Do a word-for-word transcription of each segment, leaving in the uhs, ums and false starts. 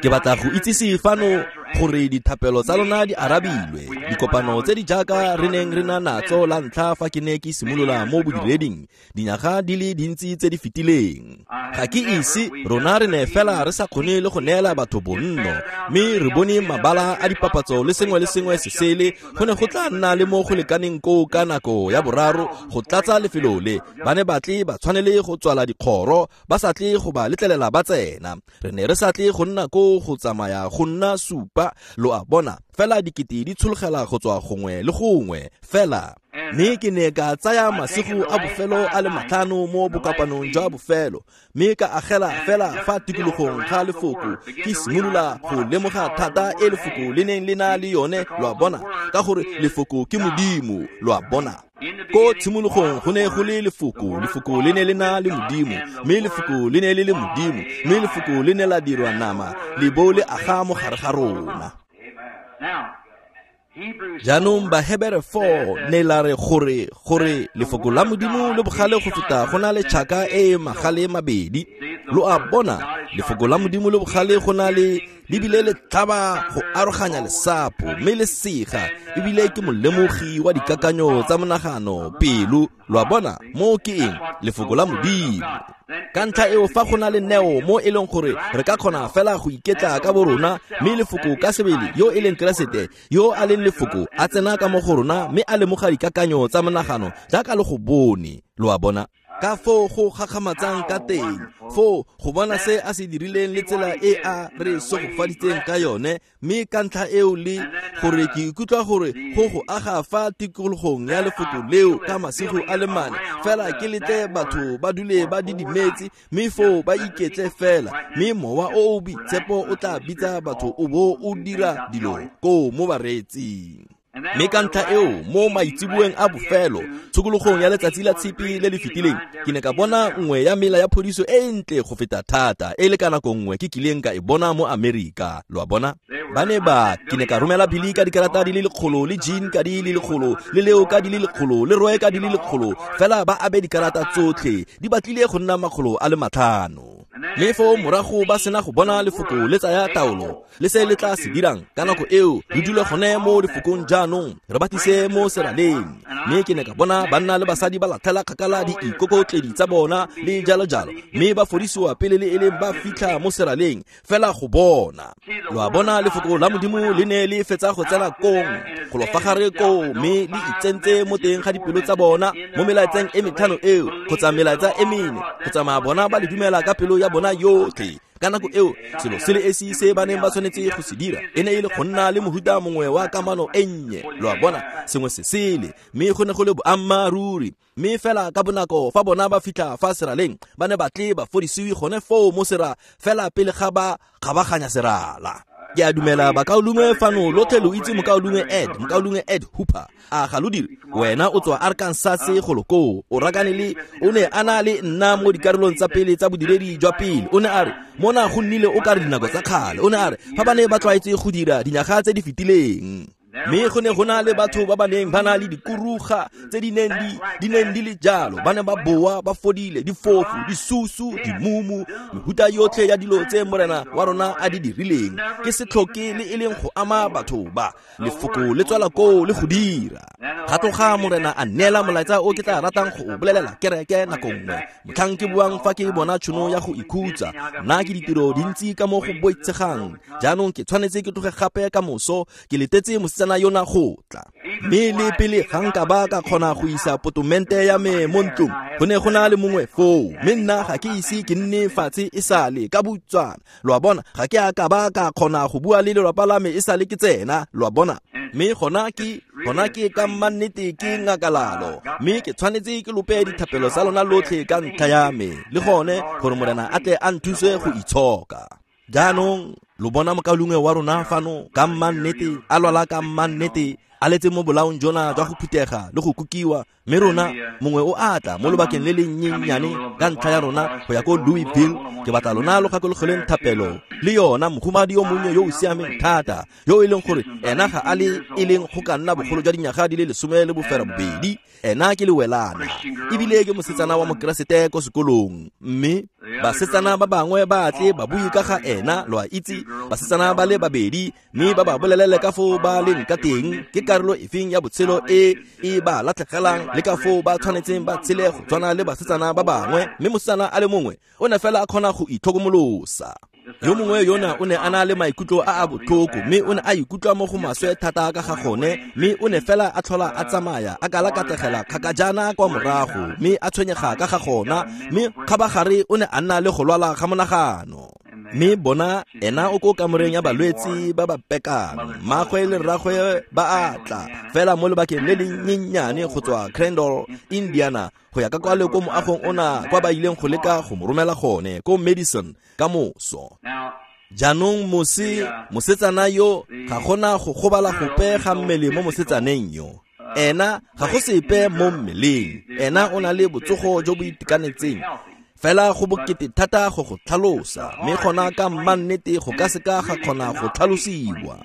Ke batla go itsise fano gore dithapelo tsa lona di arabilwe. Dikopano tse di jaaka re neng re na natso la ntlha fa ke ne ke simolola mo bodireding dinyaga di le dintsi tse di fetileng. Ga ke ise rona re ne fela re sa kgone le go neela batho bonno, mme re bone mabala a dipapatso le sengwe le sengwe se sele. Go ne go tla nna le mo go lekaneng koo ka nako ya boraro go tlatsa lefelo le. Ba ne ba tle ba tshwanele go tswala dikgoro, ba sa tle go ba letlelela ba tsena. Re ne re sa tle go nna koo go tsamaya go nna supa, lo a bona, fela dikete di tshologela go tswa gongwe le gongwe fela. Mme ke ne ka tsaya masigo a bofelo a le matlhano mo bokopanong jwa bofelo, mme ka agela fela fa tikologong ga lefoko, ke simolola go lemoga thata e lefoko le neng le na le yone, lo a bona, ka gore lefoko ke Modimo, lo a bona. Ko tshimologong go ne go le lefoko, lefoko le ne le na le Modimo, mme lefoko le ne le le Modimo, mme lefoko le ne la dirwa nama, le bo le aga mo gare ga rona. Jaanong Bahebere four ne la re gore gore lefoko la Modimo le bogale go feta go na le tšhaka e e magale mabedi. Lo a bona, lefoko la Modimo le bogale go na le lebile le tlhaba go aroganya lesapo, mme le sega ebile ke molemogi wa dikakanyo tsa monagano pelo. Lo a bona, mo ke eng? Lefoko la Modimo. Ka ntlha eo fa go na le neo mo e leng gore re ka kgona fela go iketla ka borona, mme lefoko ka sebele yo e leng Keresete yo a leng lefoko a tsena ka mo go rona mme a lemoga dikakanyo tsa monagano jaaka le go bone. Lo a bona ka foo go gakgamatsang ka teng, foo go bona se a se dirileng le tsela e a re segofaditseng ka yone, mme ka ntlha eo le gore ke ikutlwa gore go go aga fa tikologong ya lefoko leo ka masigo a le mane fela ke letle batho ba dule ba didimetse, mme foo ba iketle fela, mme mowa o o boitshepo o tla bitsa batho o bo o dira dilo koo mo bareetsing. Mme ka ntlha eo mo maitseboeng a bofelo tshokologong ya letsatsi la tshipi le le fetileng, ke ne ka bona nngwe ya mela ya phodiso e ntle go feta thata e le ka nako nngwe ke kileng ka e bona mo Amerika. Lo a bona, ba ne ba ke ne ka romela Billy ka dikarata di le lekgolo, le Jean ka di le lekgolo, le Leo ka di le lekgolo, le Roy ka di le lekgolo, fela ba abe dikarata tsotlhe di batlile go nna makgolo a le matlhano. Mme foo morago ba sena go bona lefoko le tsaya taolo le se le tla se dirang ka nako eo, re dule gone mo lefokong jaanong, re batise mo seraleng. Mme ke ne ka bona banna le basadi ba latlhela kgakala diikokotledi tsa bona le jalo jalo, mme ba fodisiwa pele le e leng ba fitlha mo seraleng fela go bona. Lo a bona, lefoko la Modimo le ne le fetsa go tsena kong go lo fa gare koo, mme le itsentse mo teng ga dipelo tsa bona mo melaetseng e metlhano eo kgotsa melaetsa e mene, go tsamaya bona ba le dumela ka pelo ya bona yotlhe. Ka nako eo selo se le esi se ba neng ba tshwanetse go se dira e ne e le go nna le mohuta mongwe wa kamano e nnye, lo a bona, sengwe se sele, mme go ne go le boammaaruri. Mme fela ka bonako fa bona ba fitlha fa seraleng, ba ne ba tle ba fodisiwe gone foo mo sera fela pele ga ba kgabaganya serala. Ke a dumela bakaulengwe fano lotlhe lo itse mokaulengwe Ed, mokaulengwe Ed Hooper. A ga lo dire? Wena o tswa Arkansas golo koo, o rakane le o ne a na le nna mo dikarolong tsa pele tsa bodiredi jwa pele. O ne a re mona go nnile o ka re dinako tsa kgale. O ne a re fa ba ne ba tlwaetse go dira dinyaga tse di fetileng, mme go ne go na le batho ba ba neng ba na le dikuruga tse di neng di di neng di le jalo, ba ne ba boa ba fodile, difofu, disusu, dimumu, mehuta yotlhe ya dilo tse Morena wa rona a di dirileng. Ke se tlhoke le e leng go ama batho ba, lefoko le tswela koo le go dira. Ga tloga Morena a neela molaetsa o ke tla ratang go o bolelela kereke nako nngwe, motlhang ke buang fa ke bona tšhono ya go ikhutsa. Nna ke ditiro dintsi ka mo go boitshegang, jaanong ke tshwanetse ke tloge gape ka moso, ke letetse mosetsana yona go tla. Mme le pele ga nka ba ka kgona go isa potomente ya me mo ntlong, go ne go na le mongwe foo, mme nna ga ke ise ke nne fatshe e sale ka butswana. Lo a bona, ga ke a ka ba ka kgona go bua le lelapa la me e sale ke tsena, lo a bona. Mme gona ke gona ke ka mmannete ke ngakalalo, mme ke tshwanetse ke lope dithapelo tsa lona lotlhe ka ntlha ya me, le gone gore Morena a tle a nthuse go itshoka. Jaanong lo bona mokaulengwe wa rona fano ka mmannete a lwala ka mmannete, a letse mo bolaong jona jwa go phutega le go kukiwa, mme rona mongwe o a tla mo lobakeng le le nnyennyane ka ntlha ya rona go ya ko Louisville. Ke batla lona lo gakologelweng thapelo le yona mohumadi yo monnye yo o siameng thata, yo e leng gore ena ga a le e leng go ka nna bogolo jwa dinyaga di le lesome le bofera bobedi. Ena ke lewelana ebile ke mosetsana wa mokeresete ko sekolong, mme basetsana ba bangwe ba tle ba bue ka ga ena, lo a itse, basetsana ba le babedi, mme ba ba bolelele ka foo ba leng ka teng, ke karolo efeng ya botshelo e e ba latlhegelang le ka foo ba tshwanetseng ba tshele go tshwana le basetsana ba bangwe. Mme mosetsana a le mongwe o ne fela a kgona go itlhokomolosa. Yo mongwe yona o ne a na le maikutlo a a botlhoko, mme o ne a ikutlwa mo go maswe thata ka ga gone, mme o ne fela a tlhola a tsamaya a kalakategela kgakajana kwa morago, mme a tshwenyega ka ga gona, mme kgabagare o ne a nna le go lwala ga monagano. Mme bona ena o ko kamoreng ya balwetse ba ba pekang, mmagwe le rragwe ba a tla fela mo lobakeng le le nnyennyane go tswa Crandall, Indiana, go ya ka kwa le ko moagong ona kwa ba ileng go leka go mo romela gone ko Madison ka moso. Jaanong mose mosetsana yo ga gona go gobala gope ga mmele mo mosetsaneng yo. Ena ga go sepe mo mmeleng, ena o na le botsogo jo bo itekanetseng. Fela go bokete thata go go tlhalosa, mme gona ka mmannete go ka seka ga kgona go tlhalosiwa.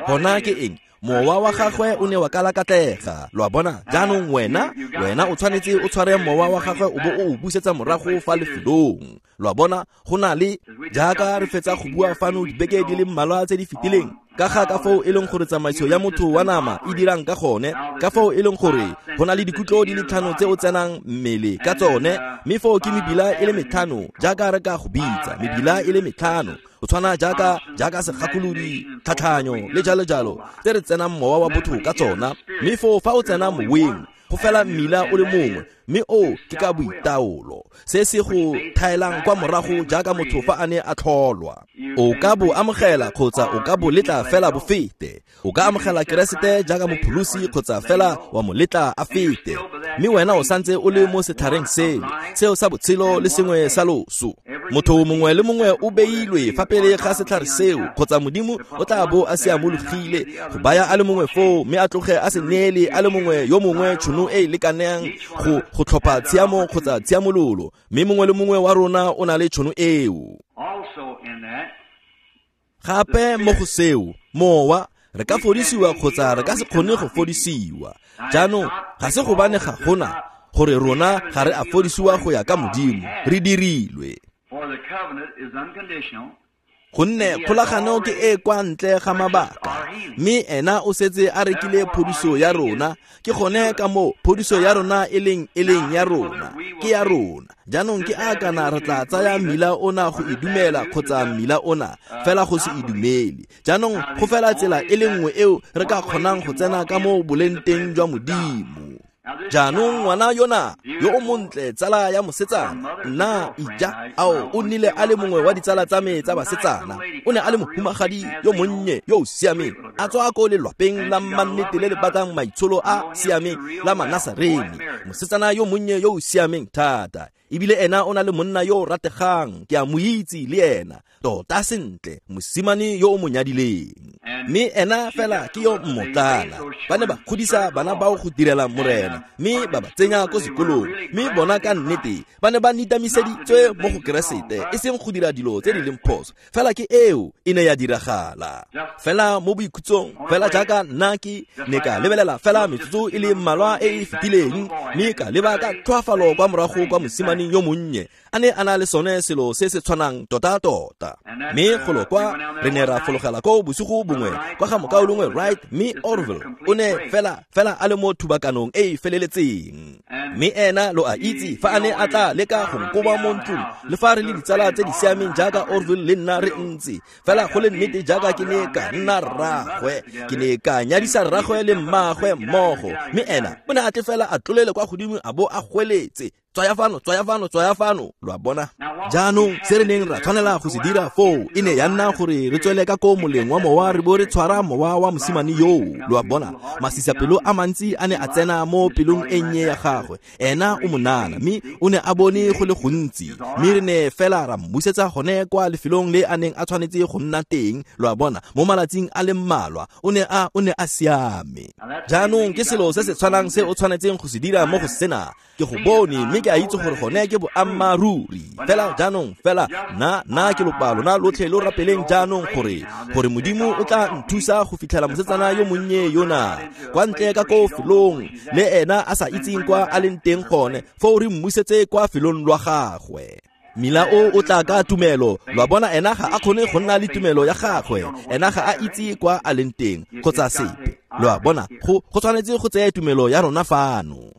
Gona ke eng? Mowa wa gagwe o ne wa kalakatlega. Lo a bona? Jaanong wena, wena o tshwanetse o tshware mowa wa gagwe o bo o o busetsa morago fa lefelong. Lo a bona? Go na le jaaka re fetsa go bua fano dibeke di le mmalwa tse di fetileng ka ga ka foo e leng gore tsamaiso ya motho wa nama e dirang ka gone, ka foo e leng gore go na le dikutlo di le tlhano tse o tsenang mmele ka tsone, mme foo ke mebila e le metlhano jaaka re ka go bitsa mebila e le metlhano, go tshwana jaaka jaaka segakolodi, tlhatlhanyo le jalo jalo tse re tsenang mowa wa botho ka tsona. Mme foo fa o tsena moweng go fela mmila o le mongwe, mme o ke ka boitaolo se se go thaelang kwa morago jaaka motho fa a ne a tlholwa. O ka bo amogela kgotsa o ka bo letla fela bo fete. O ka amogela Keresete jaaka mopholosi kgotsa fela wa mo letla a fete, mme wena o santse o le mo setlhareng sele seo sa botshelo le sengwe sa loso. Motho mongwe le mongwe o beilwe fa pele ga setlhare seo, kgotsa Modimo o tla bo a siamologile go baya a le mongwe foo, mme a tloge a se neele a le mongwe yo mongwe tšhono e e lekaneng go go tlhopha tshiamo kgotsa tshiamololo, mme mongwe le mongwe wa rona o na le tšhono eo. Gape mo go seo, mowa re ka fodisiwa kgotsa re ka se kgone go fodisiwa. Jaanong ga se gobane ga gona gore rona ga re a fodisiwa go ya ka Modimo, re dirilwe. Gonne kgolagano ke e kwa ntle ga mabaka, mme ena o setse a rekile phodiso ya rona. Ke gone ka moo phodiso ya rona e leng e leng ya rona, ke ya rona. Jaanong ke a kana re tla tsaya mmila ona go e dumela kgotsa mmila ona fela go se e dumele. Jaanong go fela tsela e le nngwe eo re ka kgonang go tsena ka mo boleng teng jwa Modimo. Jaanong ngwana yona yo o montle, tsala ya mosetsana, nna ija ao o nnile a le mongwe wa ditsala tsa me tsa basetsana. O ne a le mohumagadi yo monnye yo o siameng, a tswa ko lelwapeng la mmannete le le batlang maitsholo a siameng la Manasarene. Mosetsana yo monnye yo o siameng thata, ebile ena o na le monna yo o rategang, ke a mo itse le ena tota sentle, mosimane yo o mo nyadileng. Mme ena fela ke yo mmotlana. Ba ne ba godisa bana bao go direla Morena, mme ba ba tsenya ko sekolong, mme bona ka nnete ba ne ba nitamiseditswe mo go Keresete, e seng go dira dilo tse di leng phoso. Fela ke eo e ne ya diragala fela mo boikhutsong, fela jaaka nna ke ne ka lebelela fela metsotso e le mmalwa e e fetileng, mme ka leba ka tlhoafalo kwa morago kwa mosimaneng yo monnye a ne a na le sone selo se se tshwanang tota-tota. Mme golo kwa re ne ra fologela ko bosigo bongwe kwa ga mokaulengwe Wright, mme Orville o ne fela fela a le mo thubakanong e e feleletseng. Mme ena lo a itse fa a ne a tla leka go nkoba mo ntlong, le fa re le ditsala tse di siameng jaaka Orville le nna re ntse fela go le nnete jaaka ke ne ka nna rragwe, ke ne ka nyadisa rragwe le mmagwe mmogo. Mme ena o ne a tle fela a tlolele kwa godimo a bo a gweletse Tswaya fano, tswaya fano, tswaya fano, lo a bona. Jaanong se re neng ra tshwanela go se dira foo e ne ya nna gore re tswele ka ko moleng wa mowa re bo re tshwara mowa wa mosimane yoo, lo a bona. Masisapelo a mantsi a ne a tsena mo pelong e nnye ya gagwe. Ena o monana, mme o ne a bone go le gontsi, mme re ne fela ra mmusetsa gone kwa lefelong le a neng a tshwanetse go nna teng, lo a bona. Mo malatsing a le mmalwa o ne a o ne a siame. Jaanong ke selo se se tshwanang se o tshwanetseng go se dira mo go sena. Ke go bone mme ke a itse gore gone ke boammaaruri. Fela jaanong fela nna nna ke lopa lona lotlhe lo rapeleng jaanong gore gore Modimo o tla nthusa go fitlhela mosetsana yo monnye yona kwa ntle ka ko felong le ena a sa itseng kwa a leng teng gone, foo re mmusetse kwa felong lwa gagwe. Mila o o tla ka tumelo, lo a bona. Ena ga a kgone go nna le tumelo ya gagwe, ena ga a itse kwa a leng teng kgotsa sepe, lo a bona. Go go tshwanetse go tseye tumelo ya rona fano.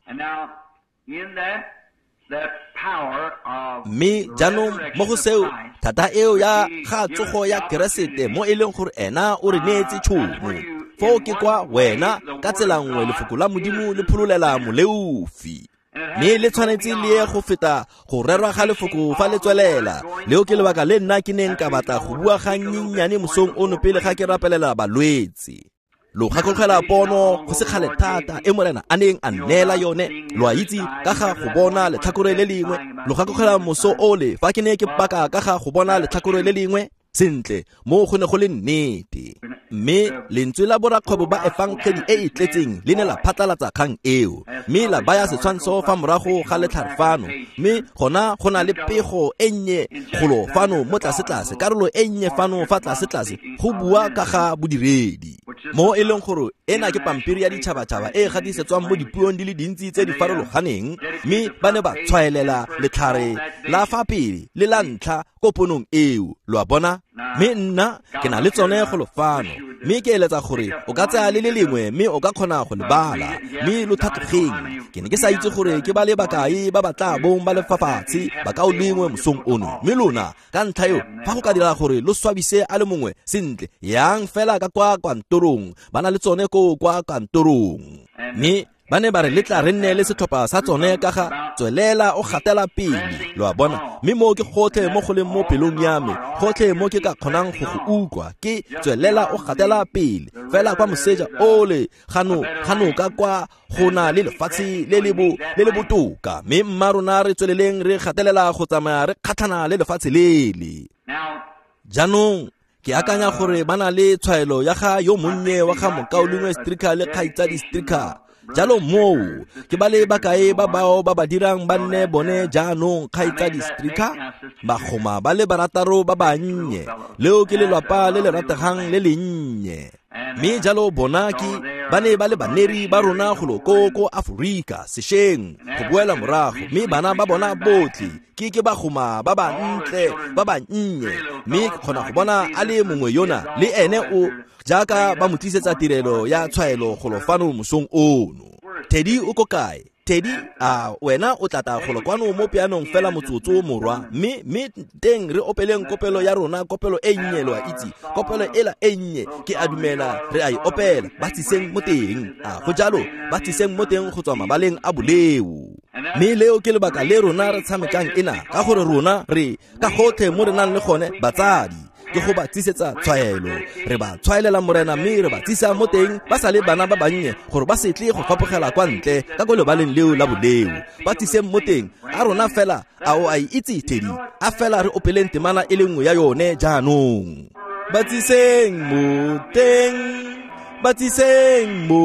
Mme jaanong mo go seo thata eo ya ga tsogo ya Keresete mo e leng gore ena o re neetse tšhono, foo ke kwa wena ka tsela nngwe lefoko la Modimo le phololela moleofi. Mme le tshwanetse le ye go feta go rerwa ga lefoko fa le tswelela. Leo ke lebaka le nna ke neng ka batla go bua ga nnyennyane mosong ono pele ga ke rapelela balwetse. Lo gakologelwa pono go se kgale thata e Morena a neng a nneela yone, lo a itse, ka ga go bona letlhakore le lengwe. Lo gakologelwa moso ole fa ke ne ke paka ka ga go bona letlhakore le lengwe. Sentle, mo go ne go le nnete. Mme lentswe la borakgwebo ba efangedi e e tletseng le ne la phatlalatsa kgang eo, mme la baya setshwantsho fa morago ga letlhare fano. Mme gona go na le pego e nnye golo fano mo tlasetlase, karolo e nnye fano fa tlasetlase go bua ka ga bodiredi, mo e leng gore ena ke pampiri ya ditšhabatšhaba e e gatisetswang mo dipuong di le dintsi tse di farologaneng. Mme ba ne ba tshwaelela letlhare la fa pele le la ntlha ko ponong eo, lo a bona. Mme nna ke na le tsone golo fano, mme ke eletsa gore o ka tsaya le le lengwe mme o ka kgona go le bala, mme lo tlhatlogeng. Ke ne ke sa itse gore ke ba le bakae ba ba tla bong ba le fa fatshe ba ka o lengwe mosong ono. Mme lona ka ntlha eo fa go ka dira gore lo swabise a le mongwe, sentle yang fela ka kwa kantorong, ba na le tsone ko kwa kantorong. Mme ba ne ba re letla re nne le setlhopha sa tsone ka ga tswelela o gatela pele, lo a bona. Mme mo ke gotlhe mo go leng mo pelong ya me, gotlhe mo ke ka kgonang go go utlwa ke tswelela o gatela pele. Fela kwa moseja ole gano gano ka kwa go na le lefatshe le le bo le le botoka, mme mma rona re tsweleleng re gatelela go tsamaya re kgatlhana le lefatshe lele. Jaanong ke akanya gore ba na le tshwaelo ya ga yo monnye wa ga mokaulengwe Stricker le kgaitsadi Stricker. Jalo moo ke ba le bakae ba bao ba ba dirang ba nne bone jaanong kgaitsadi Stricker, bagoma ba le barataro ba bannye. Leo ke lelwapa le le rategang le lennye. Mme jalo bona ke ba ne ba le baneri ba rona golo ko ko Aforika sešweng go boela morago, mme bana ba bona botlhe ke ke bagoma ba bantle ba bannye. Mme ke kgona go bona a le mongwe yona le ene o jaaka ba mo tlisetsa tirelo ya tshwaelo golo fano mosong ono. Teddy o ko kae? Teddy, a wena o tlata golo kwano mo pianong fela motsotso morwa, mme mme teng re opeleng kopelo ya rona, kopelo e nnye, lo a itse, kopelo ela e nnye ke a dumela re a e opela. Ba tsiseng mo teng, a go jalo, ba tsiseng mo teng go tswa mabaleng a boleo. Mme leo ke lebaka le rona re tshamekang ena, ka gore rona re ka gotlhe mo re nang le gone batsadi ke go ba tsisetsa tshwaelo. Re ba tshwaelela Morena mme re ba tsisa mo teng ba sa le bana ba bannye gore ba se tle go fapogela kwa ntle ka ko lebaleng leo la boleo. Ba tsiseng mo teng a rona fela, a o a e itse Teddy, a fela re opeleng temana e le nngwe ya yone jaanong. Ba tsiseng mo teng, ba tsiseng mo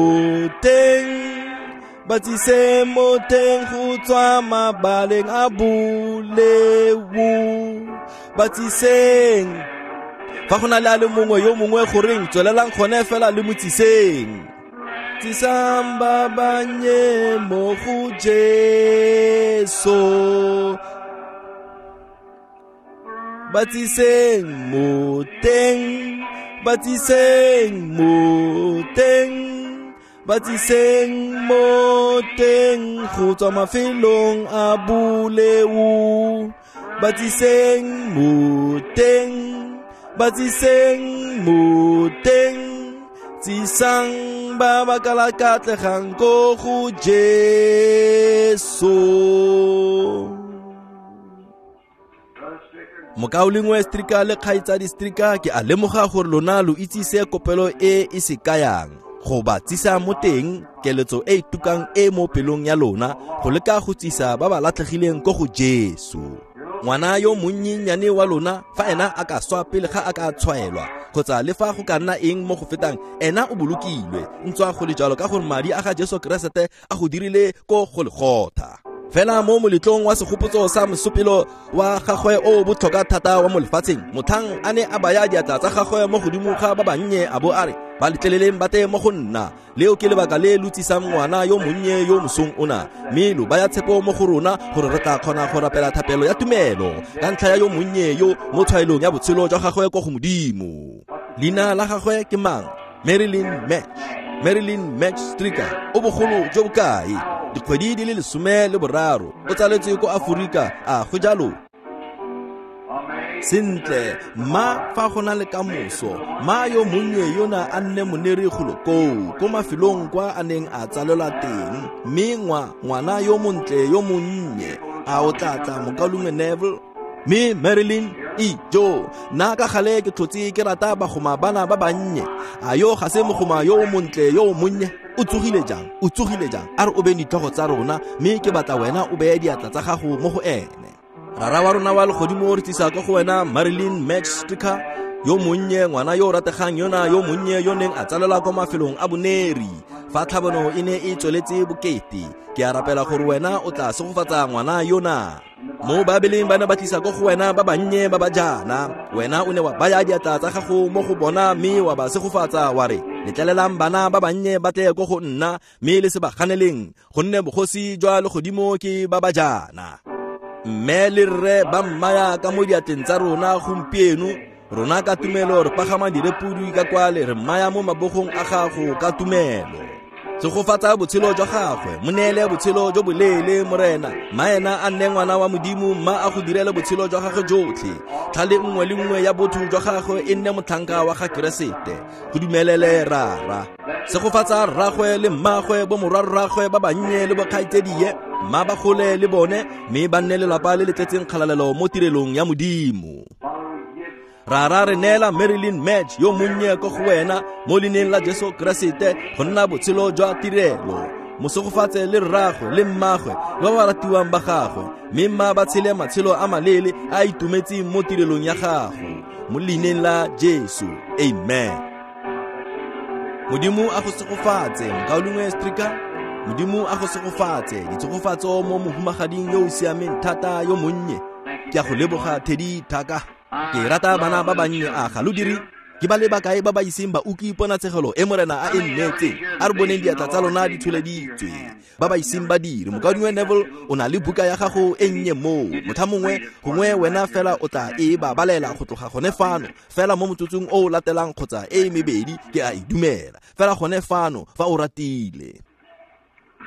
teng, ba tsiseng mo teng go tswa mabaleng a boleo. Ba tsiseng. Fa go na le a le mongwe yo mongwe goreng tswelelang gone fela le mo tsiseng. Tsisang ba bannye mo go Jesu, ba tsiseng mo teng, ba tsiseng mo teng, ba tsiseng mo teng go tswa mafelong a boleo. Ba tsiseng mo teng, ba tsiseng mo teng, Tsisang ba ba kalakatlegang ko go Jesu. Mokaulengwe Stricker le kgaitsadi Stricker, ke a lemoga gore lona lo itse se kopelo e e se kayang. Go ba tsisa mo teng keletso e e tukang e mo pelong ya lona go leka go tsisa ba ba latlhegileng ko go Jesu. Ngwana yo monnyenyane wa lona fa ena a ka swa pele ga a ka tshwaelwa kgotsa le fa go ka nna eng mo go fetang, ena o bolokilwe ntswa go le jalo ka gore madi a ga Jesu Keresete a go dirile ko Golgotha. Fela mo moletlong wa segopotso sa mosupelo wa gagwe o botlhokwa thata wa mo lefatsheng, motlhang a ne a baya diatla tsa gagwe mo godimo ga ba bannye a bo a re, ba letleleleng ba tle mo go nna. Leo ke lebaka le lo tsisang ngwana yo monnye yo mosong ona, mme lo baya tshepo mo go rona gore re tla kgona go rapela thapelo ya tumelo ka ntlha ya yo monnye yo mo tshwaelong ya botshelo jwa gagwe ko go Modimo. Leina la gagwe ke mang? Marilyn Match. Marilyn Match Stricker o bogolo jo bokae? Dikgwedi di le lesome le boraro. O tsaletswe ko Aforika, a go jalo? Sentle, ma fa go na le kamoso, ma yo monnye yona a nne moneri golo koo, ko mafelong kwa a neng a tsalelwa teng, mme ngwa ngwana yo montle yo monnye, a o tla tla mokaulengwe Neville? Mme Marilyn, ijo, nna ka gale ke tlhotse ke rata bagoma bana ba bannye. A yo ga se mogoma yo montle yo monnye? O tsogile jang? O tsogile jang? A re o beye ditlhogo tsa rona, mme ke batla wena o beye diatla tsa gago mo go ene. Rara wa rona wa legodimo, re tlisa ko go wena Marilyn Match Stricker yo monnye, ngwana yo o rategang yona yo monnye yo neng a tsalelwa ko mafelong a boneri fa tlhabano e ne e tsweletse bokete. Ke a rapela gore wena o tla segofatsa ngwana yona. Mo Babeleng ba ne ba tlisa ko go wena ba bannye ba ba jaana, wena o ne wa baya diatla tsa gago mo go bona mme wa ba segofatsa wa re, letlelelang bana ba bannye ba tle ko go nna mme le se ba ganeleng, gonne bogosi jwa legodimo ke ba ba jaana. Mme le rre ba mmaya ka mo diatleng tsa rona gompieno, rona ka tumelo re pagama direpudi ka kwale re mmaya mo mabogong a gago ka tumelo. Segofatsa botshelo jwa gagwe, mo neele botshelo jo boleele Morena, mma ena a nne ngwana wa Modimo, mma a go direle botshelo jwa gagwe jotlhe. Tlhale nngwe le nngwe ya botho jwa gagwe e nne motlhanka wa ga Keresete. Go dumelele Rara. Segofatsa rragwe le mmagwe, bo morwarragwe ba bannye le bokgaitsedie, mma ba gole le bone, mme ba nne lelapa le le tletseng kgalalelo mo tirelong ya Modimo. Rara, re neela Marilyn Match yo monnye ko go wena mo leineng la Jesu Keresete go nna botshelo jwa tirelo. Mosegofatse le rragwe le mmagwe le ba ba ratiwang ba gagwe, mme mma ba tshele matshelo a maleele a itumetseng mo tirelong ya gago mo leineng la Jesu. Amen. Modimo a go segofatse, mokaulengwe Stricker. Modimo a go segofatse, ditshegofatso mo mohumagading yo o siameng thata yo monnye. Ke a go leboga Teddy Thaka. Ke rata bana ba bannye, a ga lo dire? Ke ba le bakae ba ba iseng ba utlwe ponatshegelo e Morena a e nnetseng? A re boneng diatla tsa lona di tsholeditswe. Ba ba iseng ba dire. Mokaulengwe Neville, o na le buka ya gago e nnye moo. Motlha mongwe gongwe wena fela o tla e ba balela go tloga gone fano, fela mo motsotsong o o latelang kgotsa e mebedi, ke a e dumela. Fela gone fano fa o ratile.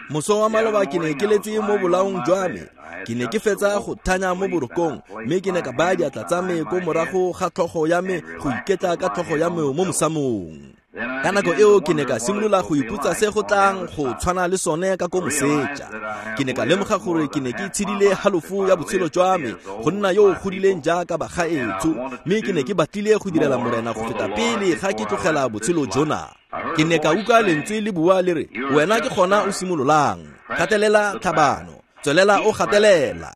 Moso wa maloba ke ne ke letse mo bolaong jwa me. Ke ne ke fetsa go thanya mo borokong, mme ke ne ka baya diatla tsa me ko morago ga tlhogo ya me go iketla ka tlhogo ya me mo mosamong. Ka nako eo ke ne ka simolola go ipotsa se go tlang go tshwana le sone ka ko moseja. Ke ne ka lemoga gore ke ne ke tshedile halofo ya botshelo jwa me go nna yo o godileng jaaka bagaetsho, mme ke ne ke batlile go direla Morena go feta pele ga ke tlogela botshelo jona. Ke ne ka utlwa lentswe le bua le re, wena ke gona o simololang, gatelela tlhabano, tswelela o gatelela.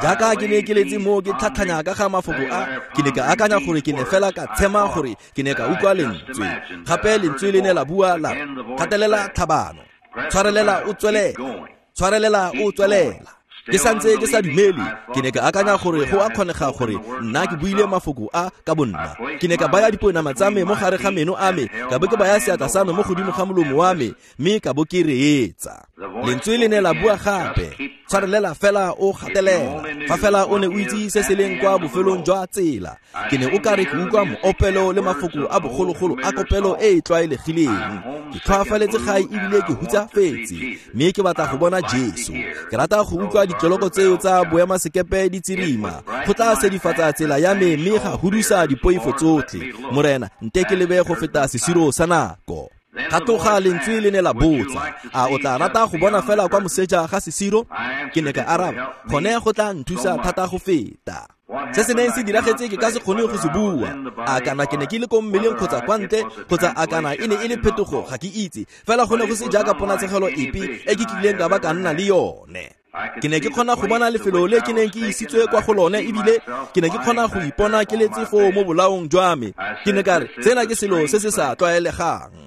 Jaaka ke ne ke letse mo ke tlhatlhanya ka ga mafoko a, ke ne ka akanya gore ke ne fela ka tshema gore ke ne ka utlwa lentswe. Gape lentswe le ne la bua la re, gatelela tlhabano, tshwarelela o tswelela, tshwarelela o tswelela. Ke santse ke sa dumele, ke ne ka akanya gore go a kgonega gore nna ke buile mafoko a ka bonna. Ke ne ka baya dipounama tsa me mo gare ga meno a me, ka bo ke baya seatla sa me mo godimo ga molomo wa me, mme ka bo ke reetsa. Lentswe le ne la bua gape, tshwarelela fela o gatelela, fa fela o ne o itse se se leng kwa bofelong jwa tsela. Ke ne o ka re ke utlwa moopelo le mafoko a bogologolo a kopelo e e tlwaelegileng. Ke tlhoafaletse gae ebile ke hutsafetse, mme ke batla go bona Jesu. Ke rata go utlwa ditloloko tseo tsa boemasekepe di tsirima, go tla sedifatsa tsela ya me mme ga hudusa dipoifo tsotlhe. Morena, nte ke lebe go feta sesiro sa nako. Ga tloga lentswe le ne la botsa, a o tla rata go bona fela kwa moseja ga sesiro? Ke ne ka araba, gone go tla nthusa thata go feta. Se se neng se diragetse ke ka se kgone go se bua. A kana ke ne ke le ko mmeleng kgotsa kwa ntle, kgotsa a kana e ne e le phetogo, ga ke itse. Fela go ne go se jaaka ponatshegelo epe e ke kileng ka ba ka nna le yone. Ke ne ke kgona go bona lefelo le ke neng ke isitswe kwa go lone, ebile ke ne ke kgona go ipona ke letse foo mo bolaong jwa me. Ke ne ka re, sena ke selo se se sa tlwaelegang.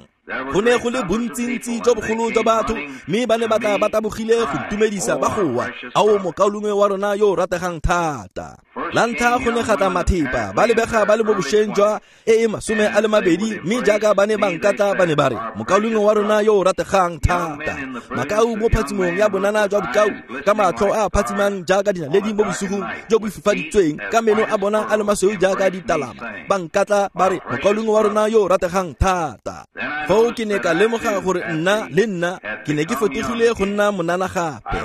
Go ne go le bontsintsi jo bogolo jwa batho, mme ba ne ba tla ba tabogile go ntumedisa ba goa, ao mokaulengwe wa rona yo o rategang thata. La ntlha go ne ga tla mathepa, ba lebega ba le mo bošweng jwa e e masome a le mabedi, mme jaaka ba ne ba nkatla ba ne ba re, mokaulengwe wa rona yo o rategang thata. Makau mo phatsimong ya bonana jwa bokau, ka matlho a a phatsimang jaaka dinaledi mo bosigong jo bo fifaditsweng, ka meno a bona a le masweu jaaka ditalama, ba nkatla ba re, mokaulengwe wa rona yo o rategang thata. Foo ke ne ka lemoga gore nna le nna ke ne ke fetogile go nna monana gape.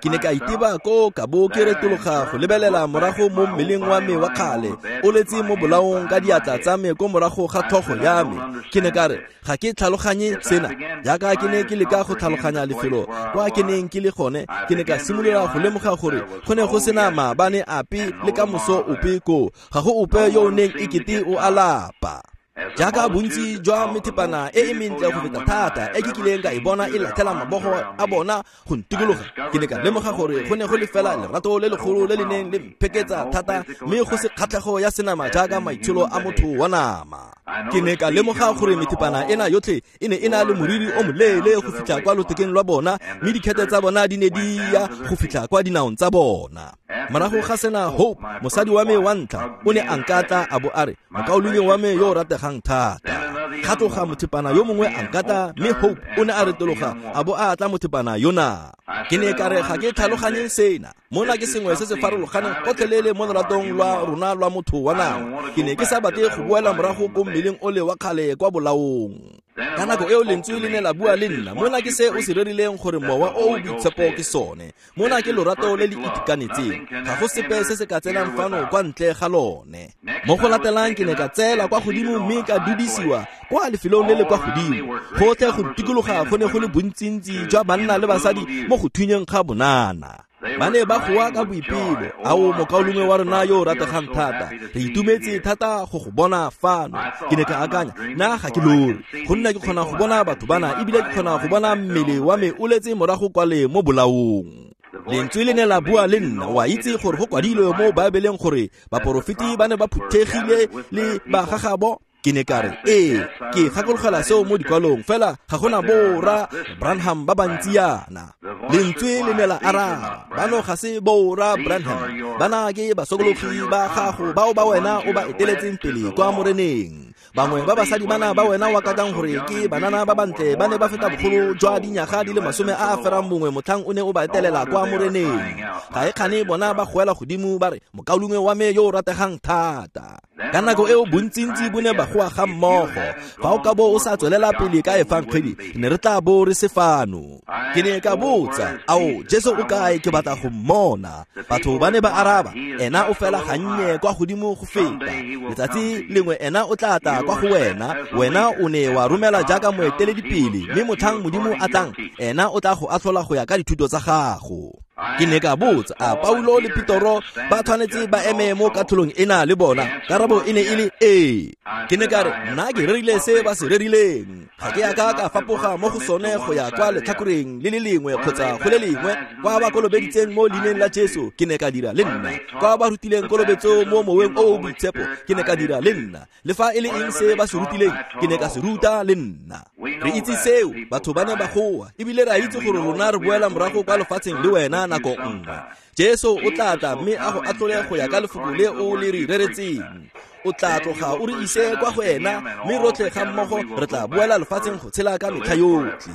Ke ne ka iteba ko ka bo ke retologa go lebelela morago mo mmeleng wa me wa kgale, o letse mo bolaong ka diatla tsa me ko morago ga tlhogo ya me. Ke ne ka re, ga ke tlhaloganye sena. Jaaka ke ne ke leka go tlhaloganya lefelo kwa ke neng ke le gone, ke ne ka simolola go lemoga gore go ne go sena maabane ape le ka moso ope koo, ga go ope yo o neng ekete o a lapa. Jaaka bontsi jwa methepana e e mentle go feta thata e ke kileng ka e bona e latlhela mabogo a bona go ntikologa, ke ne ka lemoga gore go ne go le fela lerato le legolo le le neng le mpheketsa thata, mme go se kgatlhego ya senama jaaka maitsholo a motho wa nama. Ke ne ka lemoga gore methepana ena yotlhe e ne e na le moriri o moleele go fitlha kwa lothekeng lwa bona, mme dikhete tsa bona di ne di ya go fitlha kwa dinaong tsa bona. Morago ga sena, Hope, mosadi wa me wa ntlha, o ne a nkatla a bo a re, mokaulengwe wa me yo o rategang thata. Ga tloga mothepana yo mongwe a nkatla, mme Hope o ne a retologa a bo a atla mothepana yona. Ke ne ka re, ga ke tlhaloganye sena. Mona ke sengwe se se farologaneng gotlhelele mo loratong lwa rona lwa motho wa nama. Ke ne ke sa batle go boela morago ko mmeleng ole wa kgale kwa bolaong. Ka nako eo lentswe le ne la bua le nna, mona ke se o se rerileng gore mowa o o boitshepo ke sone. Mona ke lorato le le itekanetseng, ga go sepe se se ka tsenang fano kwa ntle ga lone. Mo go latelang ke ne ka tseela kwa godimo mme ka dudisiwa kwa lefelong le le kwa godimo. Gotlhe go ntikologa go ne go le bontsintsi jwa banna le basadi mo go thunyeng ga bonana. Ba ne ba goa ka boipelo, ao mokaulengwe wa rona yo o rategang thata, re itumetse thata go go bona fano. Ke ne ka akanya, nna ga ke lore, gonne ke kgona go bona batho bana, ebile ke kgona go bona mmele wa me o letse morago kwale mo bolaong. Lentswe le ne la bua le nna, wa itse gore go kwadilwe mo Baebeleng gore baporofeti ba ne ba phuthegile le bagagabo. Ke ne ka re, ee, ke gakologela seo mo dikwalong, fela ga gona borra Branham ba bantsi yana. Lentswe le ne la araba, bano ga se borra Branham, bana ke basokologi ba gago bao ba wena o ba eteletseng pele kwa moreneng. Bangwe ba basadi bana ba wena wa kakang gore ke banana ba bantle ba ne ba feta bogolo jwa dinyaga di le masome a a ferang bongwe motlhang o ne o ba etelela kwa moreneng. Ga e kgane bona ba goela godimo ba re, mokaulengwe wa me yo o rategang thata. Ka nako eo bontsintsi bo ne ba goa ga mmogo, fa o ka bo o sa tswelela pele ka efangedi, ne re tla bo re se fano. Ke ne ka botsa, ao Jesu o kae, ke batla go mmona. Batho ba ne ba araba, ena o fela gannye kwa godimo go feta. Letsatsi lengwe ena o tla tla kwa go wena, wena o ne wa romela jaaka moeteledipele, mme motlhang Modimo a tlang, ena o tla go atlhola go ya ka dithuto tsa gago. Ke ne ka botsa, a Paulo le Petoro ba tshwanetse ba eme mo katlholong ena le bona? Karabo e ne e le ee. Ke ne ka re, nna ke rerile se ba se rerileng, ga ke a ka ka fapoga mo go sone go ya kwa letlhakoreng le le lengwe kgotsa go le lengwe. Kwa ba kolobeditseng mo leineng la Jesu, ke ne ka dira le nna. Kwa ba rutileng kolobetso mo moweng o o boitshepo, ke ne ka dira le nna. Le fa e le eng se ba se rutileng, ke ne ka se ruta le nna. Re itse seo, batho ba ne ba goa, ebile re a itse gore rona re boela morago kwa lefatsheng le wena nako nngwe. Jesu o tla tla mme a go atlhole go ya ka lefoko le o le re reretseng. O tla tloga o re ise kwa go ena, mme rotlhe ga mmogo re tla boela lefatsheng go tshela ka metlha yotlhe.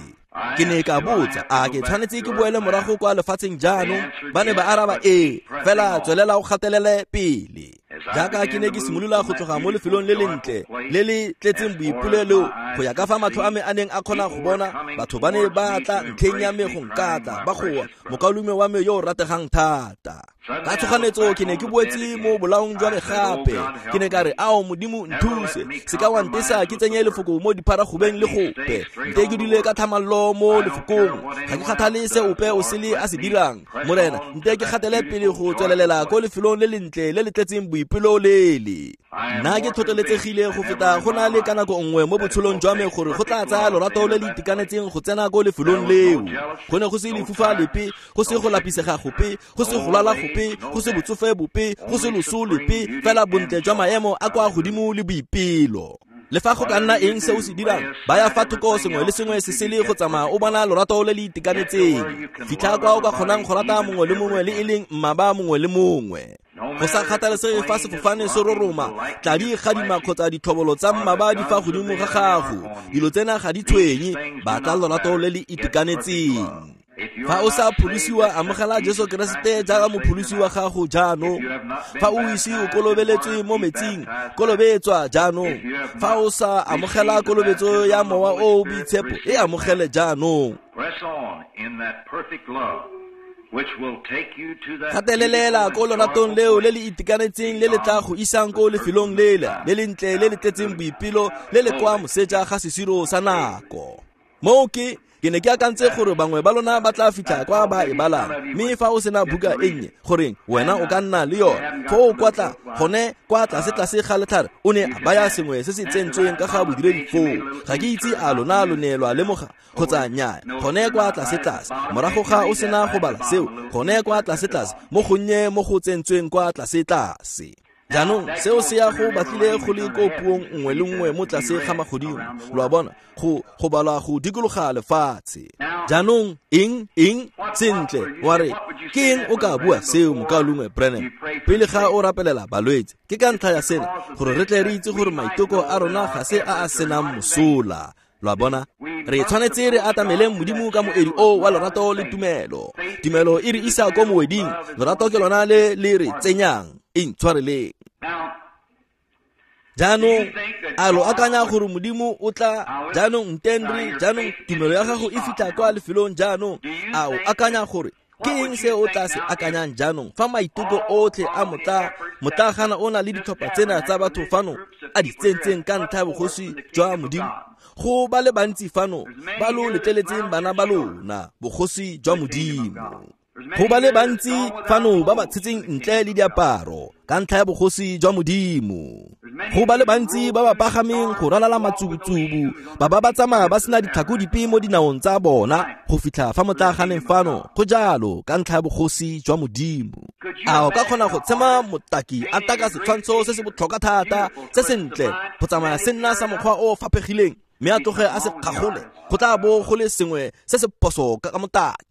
Ke ne ka botsa, a ke tshwanetse ke boele morago kwa lefatsheng jaanong? Ba ne ba araba, ee, fela tswelela o gatelele pele. Jaaka ke ne ke simolola go tloga mo lefelong le lentle le le tletseng boipolelo, go ya ka fa matlho a me a neng a kgona go bona, batho ba ne ba tla ntlheng ya me go nkatla, ba goa, mokaulengwe wa me yo o rategang thata. Ka tshoganetso ke ne ke boetse mo bolaong jwa me gape. Ke ne ka re, ao Modimo nthuse, se ka wa ntesa ke tsenye lefoko mo dipharagobeng le gope. Nte ke dule ka thamallo mo lefokong. Ga ke kgathale se ope o sele a se dirang. Morena, nte ke gatele pele go tswelelela ko lefelong le lentle le le tletseng boipelo lele. Nna ke tlhotlheletsegile go feta go na le ka nako nngwe mo botshelong jwa me gore go tla tsaya lorato le le itekanetseng go tsena ko lefelong leo. Go ne go se lefufa lepe, go se go lapisega gope, go se go lwala gope, go se botsofe bope, go se loso lepe, fela bontle jwa maemo a kwa godimo le boipelo. Le fa go ka nna eng se o se dirang, baya fa thoko sengwe le sengwe se sele go tsamaya o bona lorato le le itekanetseng. Fitlha kwa o ka kgonang go rata mongwe le mongwe le e leng mmaba mongwe le mongwe. Go sa kgathalesege fa sefofane se roroma, tladi gadima kgotsa ditlhobolo tsa mmaba di fa godimo ga gago. Dilo tsena ga di tshwenye, batla lorato le le itekanetseng. Fa o sa pholosiwa, amogela Jesu Keresete jaaka mopholosi wa gago jaanong. Fa o ise o kolobeletswe mo metsing, kolobetswa jaanong. Fa o sa amogela kolobetso ya Mowa o o Boitshepo, e amogele jaanong. Gatelelela ko loratong leo le le itekanetseng le le tla go isang ko lefelong lela le lentle le le tletseng boipelo le le kwa moseja ga sesiro sa nako. Moo ke ke ne ke akantse gore bangwe ba lona ba tla fitlha kwa ba e balang, mme fa o sena buka e nnye, goreng wena o ka nna le yone. Foo kwa tla gone kwa tlase-tlase ga letlhare o ne a baya sengwe se se tsentsweng ka ga bodiredi foo. Ga ke itse a lona lo ne lwa lemoga kgotsa nnyaa. Gone kwa tlase-tlase, morago ga o sena go bala seo, gone kwa tlase-tlase mo gonnye mo go tsentsweng kwa tlase-tlase. Jaanong seo se ya go batlile go le ko puong nngwe le nngwe mo tlase ga magodimo. Lo a bona, go go balwa go dikologa lefatshe. Jaanong eng eng sentle wa re ke eng o ka bua seo, mokaulengwe Branham, pele ga o rapelela balwetse? Ke ka ntlha ya sena gore re tle re itse gore maiteko a rona ga se a a senang mosola. Lo a bona, re tshwanetse re atameleng Modimo ka moedi o wa lorato le tumelo. Tumelo e re isa ko moeding, lorato ke lona le le re tsenyang. Intshwareleng. Jaanong a lo akanya gore Modimo o tla jaanong ntendre, jaanong tumelo ya gago e fitlha kwa lefelong jaanong. A o akanya gore ke eng se o tla se akanyang jaanong fa maiteko otlhe a motla motlagana o na le ditlhopha tsena tsa batho fano a di tsentseng ka ntlha ya bogosi jwa Modimo? Go ba le bantsi fano ba lo letleletseng bana ba lona bogosi jwa Modimo. Go ba le bantsi fano ba ba tshetseng ntle le diaparo ka ntlha ya bogosi jwa Modimo. Go ba le bantsi ba ba pagameng go ralala matsubutsubu, ba ba ba tsamaya ba sena ditlhako dipe mo dinaong tsa bona go fitlha fa motlaganeng fano. Go jalo ka ntlha ya bogosi jwa Modimo. A o ka kgona go tshema motaki a taka setshwantsho se se botlhokwa thata se sentle go tsamaya se nna sa mokgwa o faphegileng, mme a tloge a se kgagole? Go tla bo go le sengwe se se phoso ka motaki.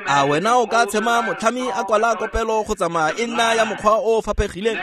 A wena o ka tshema motlhami a kwala kopelo go tsamaya e nna ya mokgwa o faphegileng,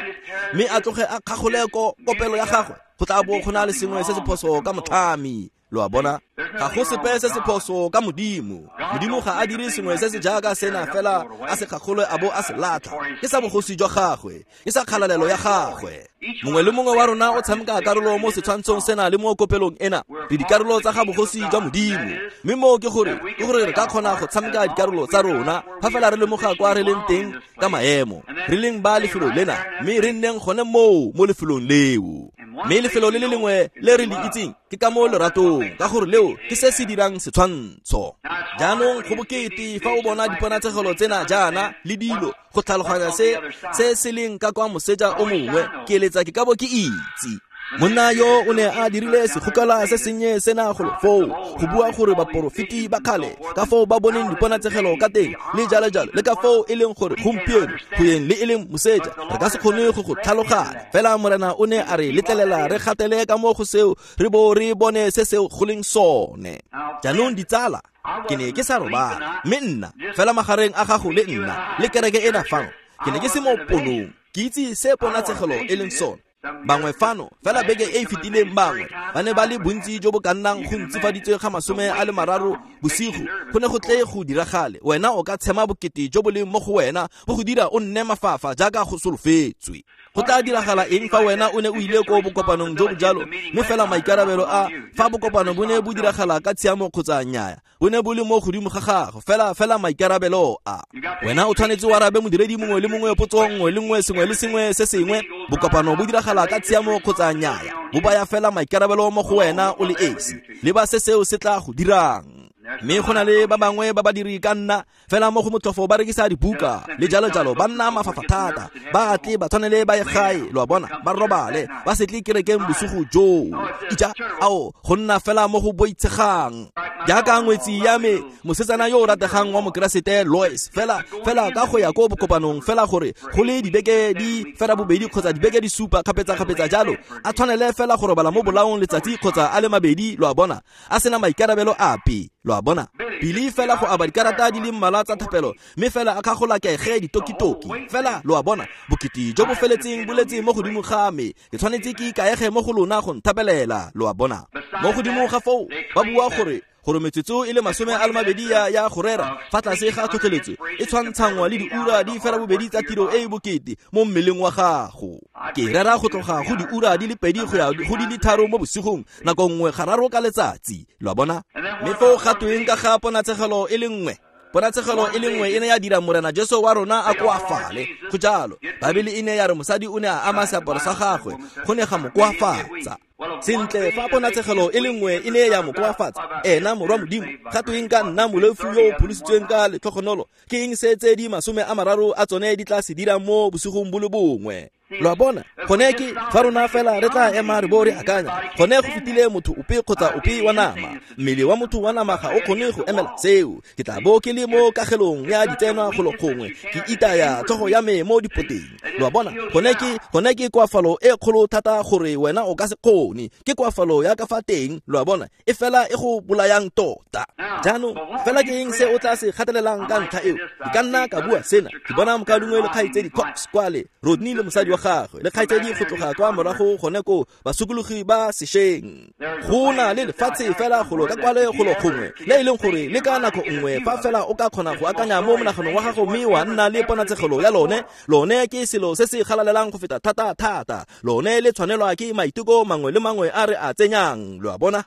mme a tloge a kgagole ko kopelo ya gagwe? Go tla bo go na le sengwe se se phoso ka motlhami. Lo a bona, ga go sepe se se phoso ka Modimo. Modimo ga a dire sengwe se se jaaka sena fela a se kgagole a bo a se latlha. Ke sa bogosi jwa gagwe, ke sa kgalalelo ya gagwe. Mongwe le mongwe wa rona o tshameka karolo mo setshwantshong sena le mo kopelong ena. Re dikarolo tsa ga bogosi jwa Modimo. Mme moo ke gore ke gore re ka kgona go tshameka dikarolo tsa rona fa fela re lemoga kwa re leng teng ka maemo, re leng ba lefelo lena, mme re nneng gone moo mo lefelong leo. Mme lefelo le le lengwe le re le itseng ke ka mo leratong, ka gore leo ke se se dirang setshwantsho. Jaanong go bokete fa o bona diponatshegelo tsena jaana le dilo go tlhaloganya se se se leng ka kwa moseja o mongwe, ke eletsa ke ka bo ke itse. Monna yo o ne a dirile segokela se sennye sena golo foo go bua gore baporofeti ba kgale ka foo ba boneng diponatshegelo ka teng le jalo jalo, le ka foo e leng gore gompieno go yeng le e leng moseja re ka se kgone go go tlhaloganya. Fela Morena o ne a re letlelela re gatele ka mo go seo re bo re bone se seo go leng sone. Jaanong ditsala, ke ne ke sa robala, mme nna fela magareng a gago le nna le kereke ena fano, ke ne ke se mo ponong, ke itse se ponatshegelo e leng sone. Bangwe fano fela beke e e fetileng bangwe ba ne ba le bontsi jo bo ka nnang go ntsifaditswe ga masome a le mararo bosigo. Go ne go tle go diragale. Wena o ka tshema bokete jo bo leng mo go wena bo go dira o nne mafafa jaaka go solofetswe. Go tla diragala eng fa wena o ne o ile ko bokopanong jo bo jalo, mme fela maikarabelo a fa bokopano bo ne bo diragala ka tshiamo kgotsa nnyaya, bo ne bo le mo godimo ga gago fela fela maikarabelo a wena o tshwanetse o arabe modiredi mongwe le mongwe potso nngwe le nngwe sengwe le sengwe se sengwe bokopano bo diragala ka tshiamo kgotsa nnyaya bo baya fela maikarabelo mo go wena o le esi le ba se seo se tla go dirang mme go na le ba bangwe ba badiri ka nna fela mo go motlhofo ba rekisa dibuka le jalo jalo ba nna mafafa thata ba tle ba tshwanele ba ye gae lo a bona ba robale ba se tle kerekeng bosigo joo ija ao go nna fela mo go boitshegang jaaka ngwetsi ya me mosetsana yo o rategang wa mokeresete Lois fela fela ka go ya ko bokopanong fela gore go le dibeke di fela bobedi kgotsa dibeke di supa kgapetsa-kgapetsa jalo a tshwanele fela go robala mo bolaong letsatsi kgotsa a le mabedi lo a bona a sena maikarabelo ape lo a bona Billy fela go aba dikarata di le mmalwa tsa thapelo mme fela a kgagolakege ditokitoki fela lo a bona bokete jo bo feletseng bo letse mo godimo ga me ke tshwanetse ke ikaege mo go lona go nthapelela lo a bona mo godimo ga foo ba bua gore gore metsotso e le masome a le mabedi ya ya go rera fa tlase ga tlhotlheletso e tshwantshangwa le diura di fela bobedi tsa tiro e e bokete mo mmeleng wa gago ke rera go tloga go diura di le pedi go ya go di le tharo mo bosigong nako nngwe gararo ka letsatsi lo a bona mme foo ga tweng ka ga ponatshegelo e le nngwe ponatshegelo e le nngwe e ne ya dira morena Jesu wa rona a koafale go jalo Baebele e ne ya re mosadi o ne a ama seaparo sa gagwe go ne ga mo koafatsa sentle fa ponatshegelo e le nngwe e ne ya mo koafatsa ena morwa modimo ga tweng ka nna moleofi yo o pholositsweng ka letlhogonolo ke eng se tse di masome a mararo a tsone di tla se dirang mo bosigong bo le bongwe lo a bona gone ke fa rona fela re tla ema re bo re akanya gone go fetile motho ope kgotsa ope wa nama mmele wa motho wa nama ga o kgone go emela seo ke tla bo ke le mo kagelong ya ditsenwa golo gongwe ke itaya tlhogo ya me mo dipoteng lo a bona gone ke gone ke koafalo e kgolo thata gore wena o ka se kgone ke koafalo ya ka fa teng lo a bona e fela e go bolayang tota jaanong fela ke eng se o tla se gatelelang ka ntlha eo ke ka nna ka bua sena ke bona mokaulengwe le kgaitsedi Cox kwale Rodney le mosadi wa gagwe le kgaitsedi go tloga kwa morago gone ko basokologi ba sešweng go na le lefatshe fela golo ka kwale golo gongwe le e leng gore le ka nako nngwe fa fela o ka kgona go akanya mo monaganong wa gago mme wa nna le ponatshegelo ya lone lone ke selo se se galalelang go feta thata thata lone le tshwanelwa ke maiteko mangwe le mangwe a re a tsenyang lo a bona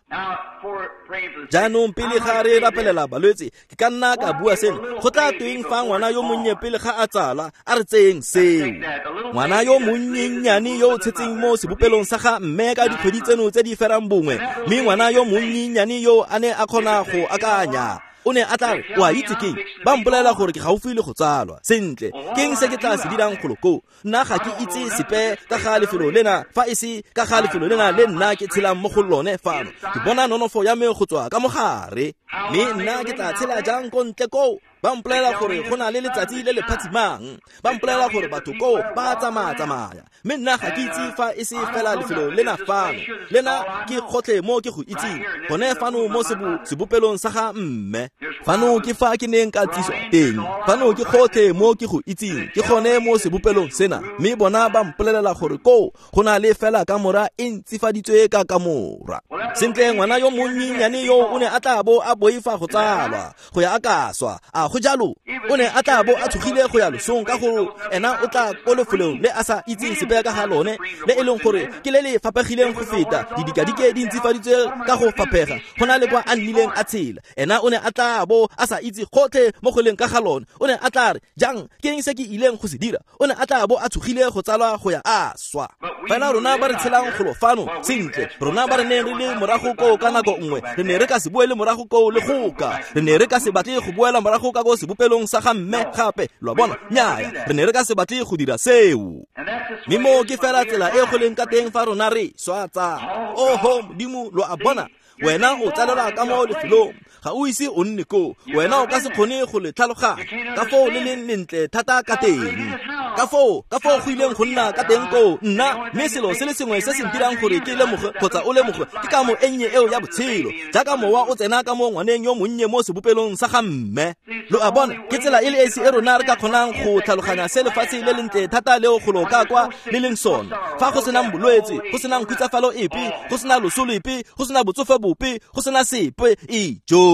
jaanong pele ga re rapelela balwetse ke ka nna ka bua seno go tla tweng fa ngwana yo monnye pele ga a tsala a re tseyeng seo ngwana yo monnyennyane yo o tshetseng mo sebopelong sa ga mme ka dikgwedi tseno tse di ferang bongwe mme ngwana yo monnyennyane yo a ne a kgona go akanya o ne a tla re o a itse keng ba mpolelela gore ke gaufi le go tsalwa sentle ke eng se ke tla se dirang golo koo nna ga ke itse sepe ka ga lefelo lena fa e se ka ga lefelo lena le nna ke tshelang mo go lone fano ke bona nonofo ya me go tswa ka mogare mme nna ke tla tshela jang ko ntle koo ba mpolelela gore go na le letsatsi le le phatsimang ba mpolelela gore batho koo ba tsamaya-tsamaya mme nna ga ke itse fa e se fela lefelo lena fano lena ke gotlhe mo ke go itseng gone fano mo sebopelong sa ga mme fano ke fa ke neng ka tliswa teng fano ke gotlhe mo ke go itseng ke gone mo sebopelong sena mme bona ba mpolelela gore koo go na le fela kamora e ntsifaditswe ka kamora sentle ngwana yo monnyenyane yo o ne a tla bo a boifa go tsalwa go ya a ka swa a go jalo o ne a tla bo a tshogile go ya losong ka gore ena o tla ko lefelong le a sa itseng sepe ka ga lone le e leng gore ke le le fapegileng go feta didikadike di ntsifaditswe ka go fapega go na le kwa a nnileng a tshela ena o ne a tla bo a sa itse gotlhe mo go leng ka ga lone o ne a tla re jang ke eng se ke ileng go se dira o ne a tla bo a tshogile go tsalwa go ya a swa fela rona ba re tshelang golo fano sentle rona ba re neng re le morago koo ka nako nngwe re ne re ka se boele morago koo le goka re ne re ka se batle go boela morago ka ko sebopelong sa ga mme gape lo a bona nnyaya re ne re ka se batle go dira seo mme mo ke fela tsela e go leng ka teng fa rona re swa tsa oho modimo lo a bona wena o tsalelwa ka mo lefelong ga o ise o nne koo wena o ka se kgone go le tlhaloganya ka foo le leng lentle thata ka teng ka foo ka foo go ileng go nna ka teng koo nna mme selo se le sengwe se se ntirang gore ke lemoge kgotsa o lemoge ke ka mo e nnye eo ya botshelo jaaka mowa o tsena ka mo ngwaneng yo monnye mo sebopelong sa ga mme lo a bona ke tsela e le esi e rona re ka kgonang go tlhaloganya se lefatshe le lentle thata leo golo ka kwa le leng sone fa go senang bolwetse go senang khutsafalo epe go sena loso lepe go sena botsofe bope go sena sepe ijo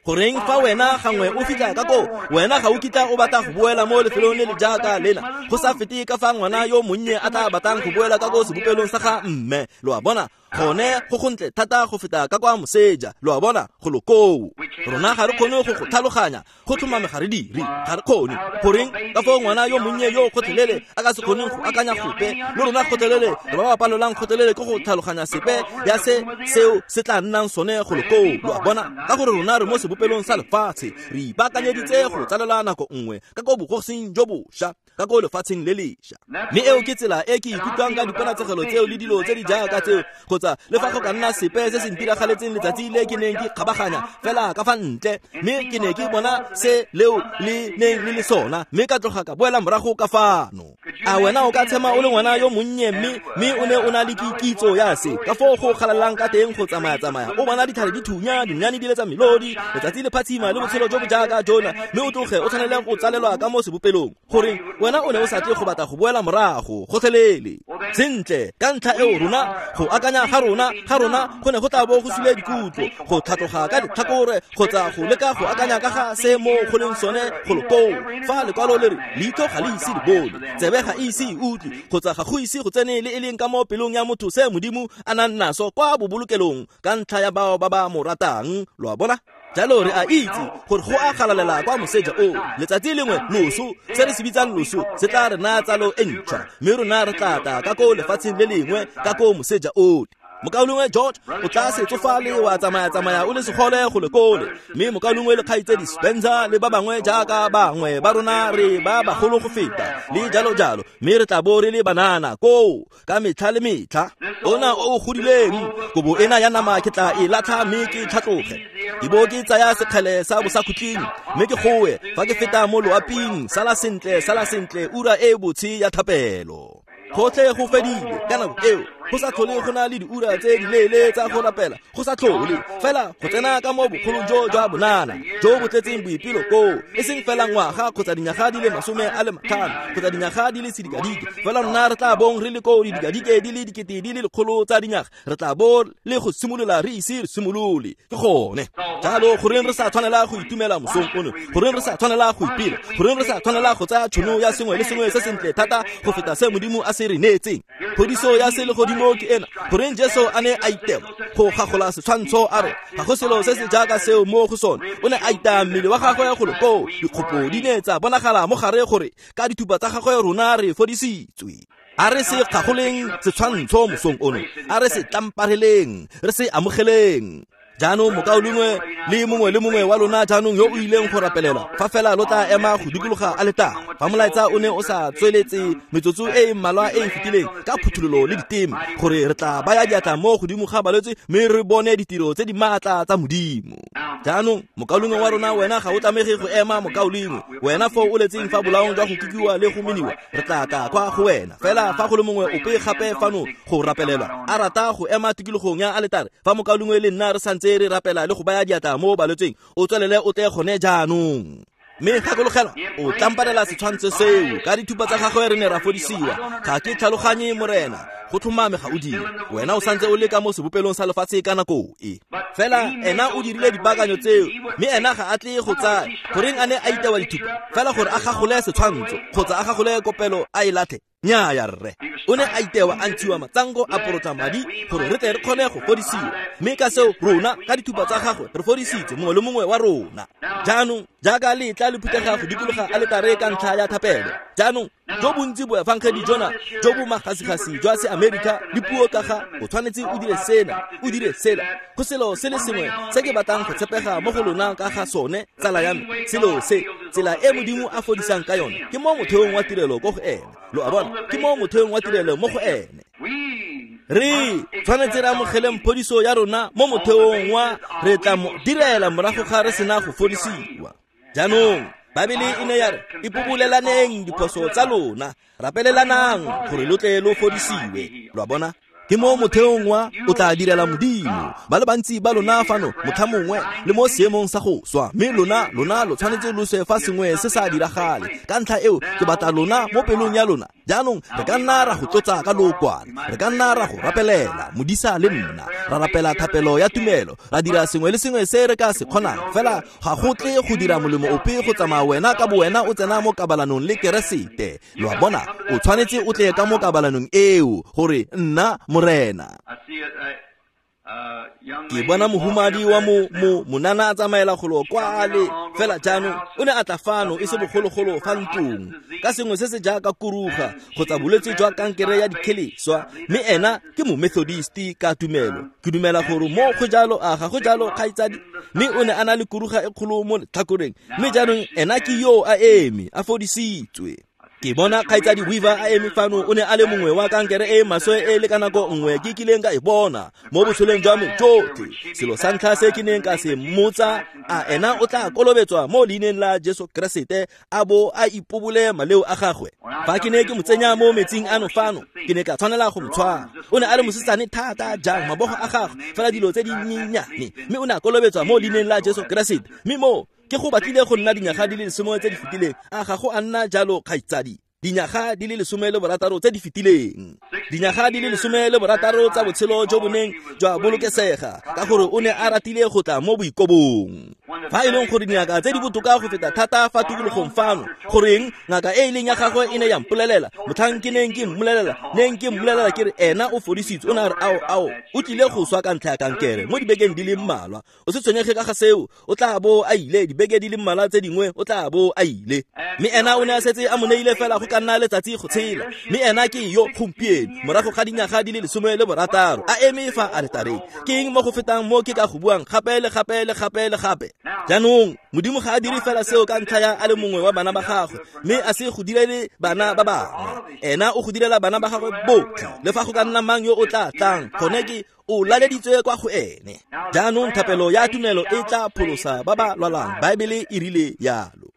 goreng fa wena gangwe o fitlha ka koo wena ga o kitla o batla go boela mo lefelong le le jaaka lena go sa fete ka fa ngwana yo monnye a tla batlang go boela ka ko sebopelong sa ga mme lo a bona Gone go gontle thata go feta ka kwa moseja, lo a bona, go lo koo. Rona ga re kgone go go tlhaloganya, go tlhomame ga re dire, ga re kgone. Goreng ka foo ngwana yo monnye yo gotlhelele a ka se kgoneng go akanya gope, le rona gotlhelele re ba ba palolang gotlhelele ke go tlhaloganya sepe ya se seo se tla nnang sone go lo koo, lo a bona, ka gore rona re mo sebopelong sa lefatshe, re ipaakanyeditse go tsalela nako nngwe ka ko bogosing jo bošwa, ka ko lefatsheng le lešwa. Mme eo ke tsela e ke ikutlwang ka diponatsegelo tseo le dilo tse di jaaka tseo, kgotsa le fa go ka nna sepe se se ntiragaletseng letsatsi le ke neng ke kgabaganya fela ka fa ntle, mme ke ne ke bona se leo le neng le le sona, mme ka tloga ka boela morago ka fano. A wena o ka tshema o le ngwana yo monnye, mme mme o ne o na le kitso ya se ka foo go galelang ka teng go tsamaya-tsamaya, o bona ditlhare di thunya, dinonyane di letsa melodi, letsatsi le phatsima le botshelo jo bo jaaka jona, mme o tloge o tshwanele go tsalelwa ka mo sebopelong. Goreng wena o ne o sa tle go batla go boela morago gotlhelele? Sentle, ka ntlha eo rona go akanya ga rona ga rona go ne go tla bo go sule dikutlo, go tlhatloga ka ditlhakore kgotsa go leka go akanya ka ga se mo go leng sone go lo koo. Fa lekwalo le re leitlho ga le ise le bone, tsebe ga e ise e utlwe, kgotsa ga go ise go tsene le e leng ka mo pelong ya motho se Modimo a nang naso kwa bobolokelong ka ntlha ya bao ba ba mo ratang, lo a bona? Jalo re a itse gore go a galalela kwa moseja o, letsatsi lengwe loso, se re se bitsang loso, se tla re naya tsalo e ntšhwa, mme rona re tla tla ka ko lefatsheng le lengwe ka ko moseja ole. Mokaulengwe George o tla se tsofale wa tsamaya-tsamaya o le segole go le kole, mme mokaulengwe le kgaitsedi Spencer le ba bangwe jaaka bangwe ba rona re ba bagolo go feta le jalo jalo, mme re tla bo re le banana koo ka metlha le metlha. Ona o o godileng, kobo ena ya nama ke tla e latlha mme ke tlhatloge, ke bo ke tsaya sekgele sa bosakhutleng mme ke goe fa ke feta mo loaping, sala sentle, sala sentle, ura e botshe ya thapelo. Gotlhe go fedile ka nako eo, go sa tlhole go na le diura tse di leele tsa go rapela, go sa tlhole fela go tsena ka mo bogolong jo jwa bonana jo bo tletseng boipelo koo, e seng fela ngwaga kgotsa dinyaga di le masome a le matlhano kgotsa dinyaga di le sedikadike, fela rona re tla bong re le koo didikadike di le dikete di le lekgolo tsa dinyaga, re tla bo le go simolola re ise re simolole. Ke gone jalo goreng re sa tshwanela go itumela mosong ono, goreng re sa tshwanela go ipela, goreng re sa tshwanela go tsaya tšhono ya sengwe le sengwe se sentle thata go feta se Modimo a se re neetseng. Phodiso ya selegodimo ke ena. Goreng Jesu a ne a itema go gagola setshwantsho a re ga go selo se se jaaka seo mo go sone, o ne a itaya mmele wa gagwe go lo koo, dikgopo di ne tsa bonagala mo gare gore ka dithupa tsa gagwe rona re fodisitswe. A re se gagoleng setshwantsho mosong ono, a re se tlampareleng, re se amogeleng. Jaanong mokaulengwe le mongwe le mongwe wa lona jaanong yo o ileng go rapelelwa, fa fela lo tla ema go dikologa aletare, fa molaetsa o ne o sa tsweletse metsotso e e mmalwa e e fetileng ka phuthololo le diteme, gore re tla baya diatla mo godimo ga balwetse mme re bone ditiro tse di maatla tsa Modimo. Jaanong mokaulengwe wa rona, wena ga o tlamege go ema mokaulengwe, wena foo o letseng fa bolaong jwa go kikiwa le go meniwa, re tla tla kwa go wena. Fela fa go le mongwe ope gape fano go rapelelwa a rata go ema tikologong ya aletare, fa mokaulengwe le nna re santse re rapela le go baya diatla mo balwetseng, o tswelele o tle gone jaanong. Mme gakologelwa, o tlamparela setshwantsho seo, ka dithupa tsa gagwe re ne ra fodisiwa. Ga ke tlhaloganye Morena, go tlhomame ga o dire, wena o santse o le ka mo sebopelong sa lefatshe ka nako e. Fela ena o dirile dipaakanyo tseo, mme ena ga a tle go tsaya. Goreng a ne a itewa dithupa? Fela gore a gagole setshwantsho kgotsa a gagole kopelo a e latlhe? Nnyaya rre, o ne a itewa a ntshiwa matsango a porotla madi gore re tle re kgone go fodisiwa, mme ka seo rona ka dithupa tsa gagwe re fodisitse mongwe le mongwe wa rona. Jaanong jaaka letla le phuthega go dikologa aletare ka ntlha ya thapelo, jaanong jo bontsi boefangedi jona jo bo magasigasi jwa se-Amerika le puo ka ga o tshwanetse o dire sena, o dire sela, go selo se le sengwe se ke batlang go tshepega mo go lona ka ga sone, tsala ya me, selo se, tsela e Modimo a fodisang ka yone ke mo motheong wa tirelo ko go ene. Lo a bona, ke mo motheong wa tirelo mo go ene. Re tshwanetse re amogeleng phodiso ya rona mo motheong wa re tla mo direla morago ga re sena go fodisiwa. Jaanong Baebele e ne ya re ipobolelaneng diphoso tsa lona, rapelelanang gore lo tle lo fodisiwe. Lo a bona, ke mo motheong wa o tla direla Modimo. Ba le bantsi ba lona fano motlha mongwe le mo seemong sa go swa, mme lona lona lo tshwanetse lo swe fa sengwe se sa diragale. Ka ntlha eo ke batla lona mo pelong ya lona. Jaanong re ka nna ra go tlotsa ka lookwane, re ka nna ra go rapelela, modisa le nna ra rapela thapelo ya tumelo, ra dira sengwe le sengwe se re ka se kgonang. Fela ga go tle go dira molemo ope go tsamaya wena ka bo wena o tsena mo kabalanong le Keresete. Lo a bona, o tshwanetse o tle ka mo kabalanong eo gore nna Morena. Ke bona mohumadi wa mo mo monana a tsamaela golo kwale fela jaanong o ne a tla fano e se bogologolo fa ntlong ka sengwe se se jaaka kuruga kgotsa bolwetse jwa kankere ya dikheleswa, mme ena ke momethodist ka tumelo. Ke dumela gore mo go jalo, a ga go jalo kgaitsadi? Mme o ne a na le kuruga e kgolo mo letlhakoreng, mme jaanong ena ke yo a eme a fodisitswe. Ke bona kgaitsadi Weaver a eme fano, o ne a le mongwe wa kankere e maswe e le ka nako nngwe ke kileng ka e bona mo botshelong jwa me jotlhe. Selo sa ntlha se ke neng ka se mmotsa, a ena o tla kolobetswa mo leineng la Jesu Keresete a bo a ipobole maleo a gagwe? Fa ke ne ke mo tsenya mo metsing ano fano, ke ne ka tshwanela go mo tshwara. O ne a le mosetsane thata jang, mabogo a gagwe fela dilo tse di nyenyane, mme o ne a kolobetswa mo leineng la Jesu Keresete. Mme mo ke go batlile go nna dinyaga di le lesome tse di fetileng, a ga go a nna jalo kgaitsadi? Dinyaga di le lesome le borataro tse di fetileng, dinyaga di le lesome le borataro tsa botshelo jo bo neng jwa bolokesega, ka gore o ne a ratile go tla mo boikobong. Fa e leng gore dingaka tse di botoka go feta thata fa tikologong fano, goreng ngaka e e leng ya gagwe e ne ya mpolelela motlhang ke neng ke mmolelela neng ke mmolelela ke re ena o fodisitswe, o ne a re ao ao o tlile go swa ka ntlha ya kankere mo dibekeng di le mmalwa. O se tshwenyege ka ga seo, o tla bo a ile dibeke di le mmalwa tse dingwe, o tla bo a ile. Mme ena o ne a setse a mo neile fela go ka nna letsatsi go tshela, mme ena ke yo gompieno morago ga dinyaga di le lesome le borataro a eme fa aletareng. Ke eng mo go fetang mo ke ka go buang gape le gape le gape le gape? Jaanong Modimo ga a dire fela seo ka ntlha ya a le mongwe wa bana ba gagwe, mme a se go direle bana ba bangwe. Ena o go direla bana ba gagwe botlhe, le fa go ka nna mang yo o tla tlang, gone ke o laleditswe kwa go ene. Jaanong thapelo ya tumelo e tla pholosa ba ba lwalang, Baebele e rile yalo.